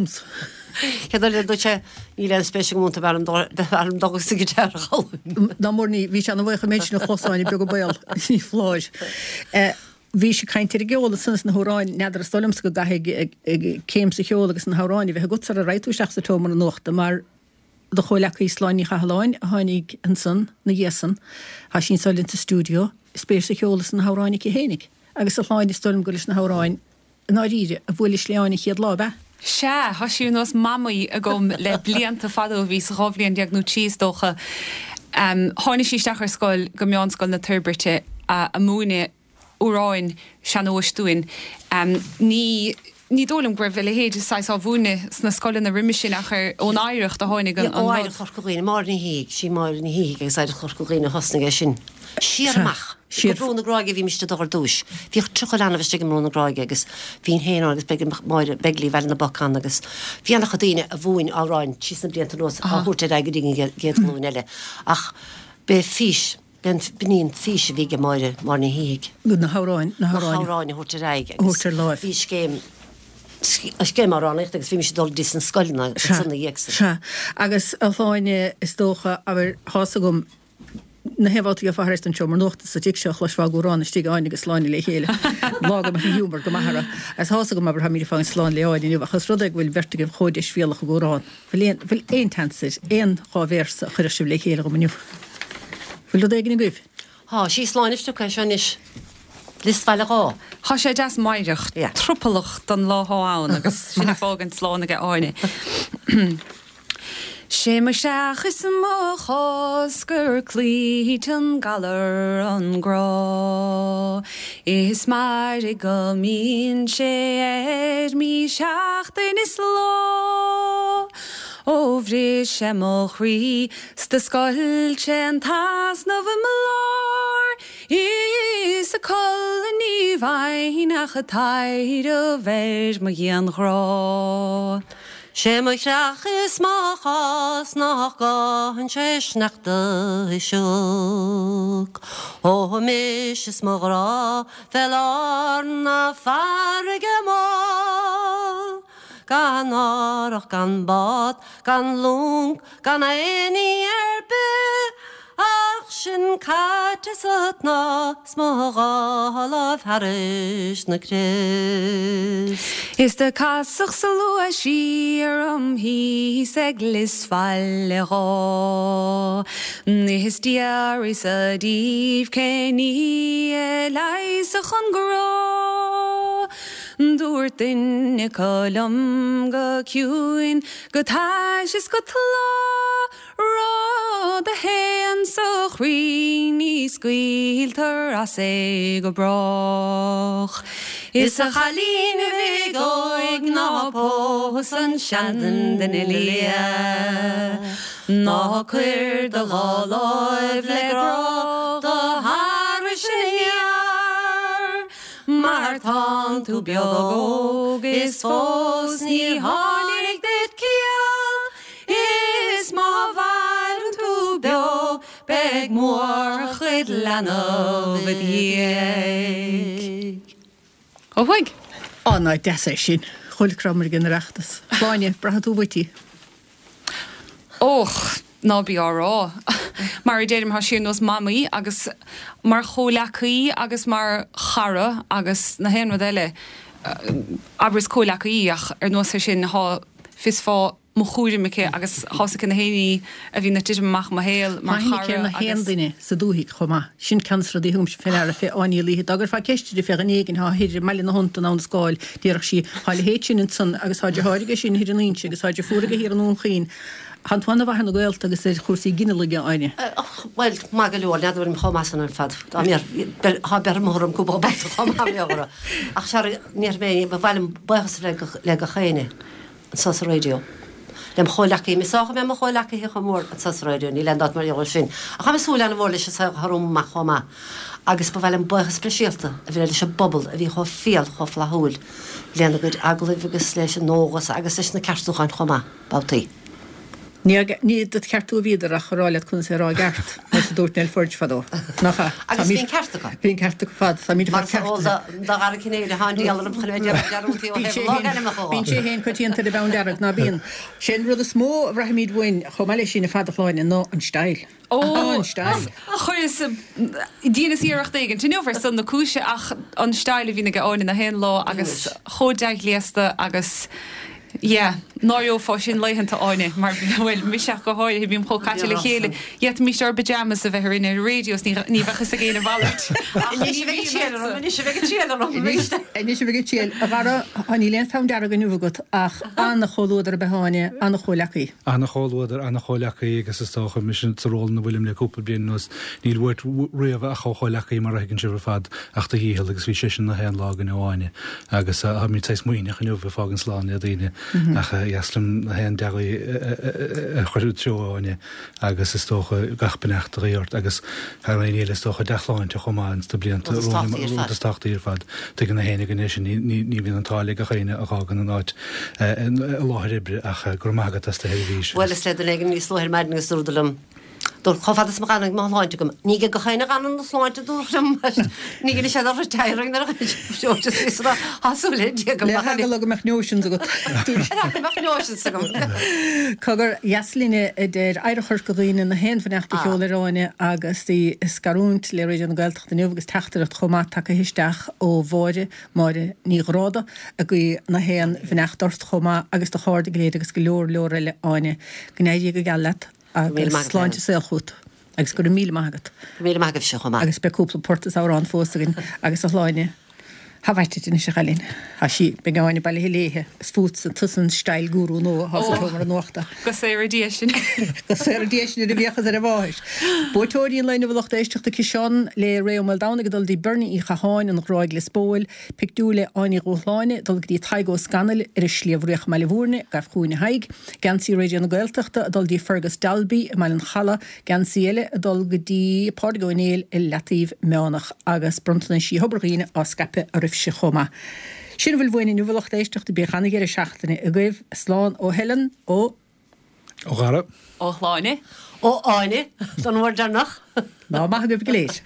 chéad rud eile dúirt sé, níl aon spéis agam iontu, b'fhearr liom dul agus an guitar a dh'fhoghlaim. Ná mór ní, bhí sé ana bhuíoch an méid sin a chlos Áine beag an baol, ní foláir. Bhís ag caint ar an gceol ansan is na hamhráin, n'fheadar is dóigh liomsa go gcaithfidh céim sa cheol agus na hamhráin a bheith agat sara raghaidh tú isteach sa tseomra nuachta mar Do chomhleacaí Sláine Ní Chathalláin a tháinig ansan 'na dhiaidh san, tá sí anso linn sa stiúideo, spéis sa cheol is sna hamhráin aici fhéinig. Agus a Shláine, is dóigh liom gur leis na hamhráin, i ndáiríre, a bhuailis le Áine an chéad lá, ab ea? Sea, tá sí ar nós mamaí agam le blianta fada, ó bhíos dhá bhliain déag nó trí is dócha. Tháinig sí isteach ar scoil go Meánscoil na Toirbhirte a' múineadh amhráin sean-nóis dúinn. Ní ní dóigh liom go raibh a leithéid de saghas á mhúineadh sna scoileanna roimhe sin ach ar ón oidhreacht a tháinig an Ó rud. Oidhreacht Chorca Dhuibhne, Máire Ní Shíthigh, sí Máire Ní Shíthigh agus Oidhreacht Chorca Dhuibhne a thosnaigh é sin. Siar amach go Brú na Gráige a bhímist ag dul ar dtúis. Bhíodh tríocha leanbh istigh i mBrú na Gráige agus bhínn féin ann agus b'fhéidir go mbeadh Máire Begley Bhaile na bPoc ann agus bhí an-chuid daoine a mhúin amhráin síos na blianta anuas á thabhairt ar aghaidh go dtí an gcéad ghlúin eile. Ach b'é fís B'in í an fís a bhí ag Máire, Máire Ní Shíthigh. Na hamhráin, na Na hamhráin. hamhráin a thabhairt ar aghaidh a thabhairt ar láimh. Bhí scéim, scéim amhránaíochta agus bhímis ag dul go dtí sna scoileanna Sea, ansan ina dhiaidh san. sea. Agus a Shláine, is dócha, abair, tá's agam, na haon bhabhta a gheofá thar éis don seomra nuachta sa tigh seo, chloisfeá ag amhrán istigh Áine agus Sláine le chéile. Lá go mbeadh an giúmar go maith orthu. Agus tá's agam, abair, táimid ag fágaint slán le Áine inniu ach is rud é go bhfuil beirt agaibh chomh deisbhéalach ag amhrán. Bhfuil aon, bhfuil aon tseans ar aon dhá véarsa a chuirfeadh sibh le chéile dhom inniu? Bhfuil rud éigin agaibh? Tá, sí Sláine a phioc é seo anois. Lios Bhaile Dhá. Tá sé deas meidhreach, tropallach don lá thá ann agus sinn ag fágaint slán aige Áine. Sé mo sheach is mo chosc gur cloíte an galar an grá Is mairg go mbíonn sé ar mí seachtain is lá. Ó bhris sé mo chroí 's do scoilt sé an t-easnamh i mo lár Is a codladh ní bhfaighinn ach ag taidhreamh ar mo dhianghrá. Sé mo chreach is mo chás nach gcaitheann sé sneachta is sioc. Ó mise is mo ghrá fé lár na farraige mór. Gan árthach gan bád gan long gan aon ní ar bith ach sinn caite sa tsnáth 's mo dhá láimh thairis na crios. Is do casadh sa luaith siar orm thíos ag Lios Bhaile Dhá. Is d'fhiafraíos-sa díobh cén ní a leigheasfadh an grá. Dúirt duine acu liom go ciúin, go tais is go tláth, Rud a théann sa chroí ní scaoiltear as é go brách. Is a chailín bhig óig ná pós an seanduine liath, Ná cuir do dhá láimh le grá do tharais aniar, Mar tánn tú beag óg is fós ní tháinig duit ciall, Is má mhaireann tú beo beidh mórchuid leanbh id dhiaidh. Ó thuaidh. Á, ná deas é sin. Chuile crom ag an Oireachtas. Sláine, braithfidh tú uait í. Och, ná bí á rá. Mar a deirim, tá sí ar nós mamaí agus mar chomhleacaí agus mar chara agus na haon rud eile, abair is comhleacaí í ach ar nós ar sin tá fios fá mo chúram aici agus tá fhios aici na haon ní a bhíonn ag titim amach i mo shaol mar Tá aithne aici ar chara na haon agus. duine sa dúthaigh chomh maith. Sin ceann de na rudaí a thugaimse fé ndeara fé Áine Ní Laoithe. Dá gcuirfeá ceist uirthi fé dhuine éigin thá thoir i mBaile na hAbhann in Abha na Scáil, déarfadh sí, Thá a leithéid sin ansan agus thá deartháir aige sin thoir in Inse agus thá deirfiúr aige thiar i nDún Chaoin. Thánn tú ana-mhaith ar na gaolta agus ar chúrsaí ginealaigh, a Áine. Bhuel, maith go leor, n'fheadar an bhfuilim chomh maith san ar fad. Dá mbeadh, thá beir mo thuairim cúpla babhta chomh maith mé orthu. Ach sea, ní mé, ba mhaith liom buíochas a bheith le gach éinne anso sa raidió. Lem chomhleacaithe, is dócha mé mo chomhleacaithe chomh mór anso sa raidió, níl aon dabht mar gheall air sin. Ach táim ag súil ana-mhór leis an saol atá romham amach chomh maith. Agus ba mhaith liom buíochas speisialta a bheith leis an bpobal a bhí chomh fial, chomh flaithiúil lena gcuid agallaimh agus leis an eolas agus leis na ceartúcháin chomh maith, babhtaí. Ní ní dod cheartú a bhíodar ach a rá leat conas é a rá i gceart, mar a dúirt Nell Forde fadó. Nach ea? Agus bhí an ceart acu. Bhí an ceart acu fad. Táimid Mar is eol do Dhara Cinnéide, tá an diabhal orm chun a bheith ag déanamh dearúd ó thaobh logainmneacha dhó. Bíonn sé féin coitianta ar an bpeann dearg, ná bíonn? Sé an rud is mó a bhraithimid uainn chomh maith leis sin ar fad a Shláine ná an style. Ó, An style. Chuireas, dheineas iarracht éigin inniu ar son na cúise ach an style a bhíonn ag Áine na haon lá agus chomh dea-ghléasta agus Yeah, náireofá sinn laethanta, Áine, mar, bhuel, mise ach go háirithe, bím chomh caite le chéile. D'fhéadfaimis ár bpyjamas a bheith orainn ar an raidió is ní ní bheadh fhios ag éinne a mhalairt. Ach Anois a bheidh an triail orm, anois a bheidh an triail orm, Anois, anois a bheidh an triail. A Dhara, tá níl aon pheann dearg inniu agat ach an-chomhluadar ab ea Áine, an-chomhleacaí. An-chomhluadar, an-chomhleacaí agus is dócha mise sa ról ina bhfuilim le cúpla bliain anuas, níl uait riamh ach ó chomhleacaí mar a thuigeann sibh ar fad ach do dhícheall agus bhí seisean na haon lá againn ó Áine agus táimid saghas maoithneach inniu ag fágaint slán le daoine ach dheas liom na haon dea-ghuí a chur i dtreo Áine agus is dócha gach beannacht a ghuí ort agus thar aon ní eile is dócha dea-shláinte chomh maith ins na blianta Rud is tábhachtaí ar rud fad. is tábhachtaí ar fad. Tuigeann na haon againn é sin ní ní ní bhíonn an t-ádh le gach éinne a fhágann an áit i láthair oibre ach go raibh maith agat as do sheirbhís. Bhuel is le duine éigin níos luaithe ar maidin agus dúradar liom Dúirt chomh fada is ma ghanann mo shláinte agam. Ní gach éinne a ghanann na sláinte dúirt liom ní ghin sé ar retiring nuair a hasú le Dia go Le heagla go mbeadh notions agat. mbeadh notions agam. Cogar dheas linne a deir Oidhreacht Chorca Dhuibhne na haon bheannacht a sheoladh ar Áine agus í ag scarúint le Raidió na Gaeltachta inniu agus teachtaireacht chomh maith tagtha isteach ó Mháire Máire Ní Ghráda ag guí na haon bheannacht ort chomh maith agus do chairde go léir agus go leor leor eile Áine. Go n-éirí go geal leat Míle agus maith agat, sláinte saol chugat agus go raibh míle maith agat. Míle maith agaibhse chomh maith. Agus beidh cúpla port is amhrán fós againn agus a Shláine. Tha bhaite anois a chailín. Tha Tá sí, beidh Áine bailithe léithe. Is fútsa, tusa an style guru nua atá sa tseomra nuachta. Go saora Dia sinn. Go saora Dia sinn ar a bhfiachas ar a mháthair. Buaiteoirí an lae inniu a lucht éisteachta, Ciseán le Ray Ó Maoldomhnaigh ag dul dtí Bernie Uí Chatháin, An Ghráig, Lios Póil, Pictiúr le Áine Ní Dhúshláine ag dul go dtí Tadhg Ó Scanaill ar an Sliabh Riach i mBaile Bhúirne, gabh chugainn a Thaidhg, Geansaí Raidió na Gaeltachta ag dul dtí Fergus Dalby i mBaile an Chalaidh, Geansaí eile ag dul go dtí Pádraig Ó Néill i Leataobh Meánach agus bronntanaisí Thobar Dhuibhne á scaipeadh oraibhse chomh maith. Sin a bhfuil uainn inniu a lucht éisteachta, bíodh ana-dheireadh seachtaine agaibh. Slán ó Helen, ó. Ó Dhara. Ó Shláine. Ó Áine, don uair deireanach. Lá maith agaibh go léir.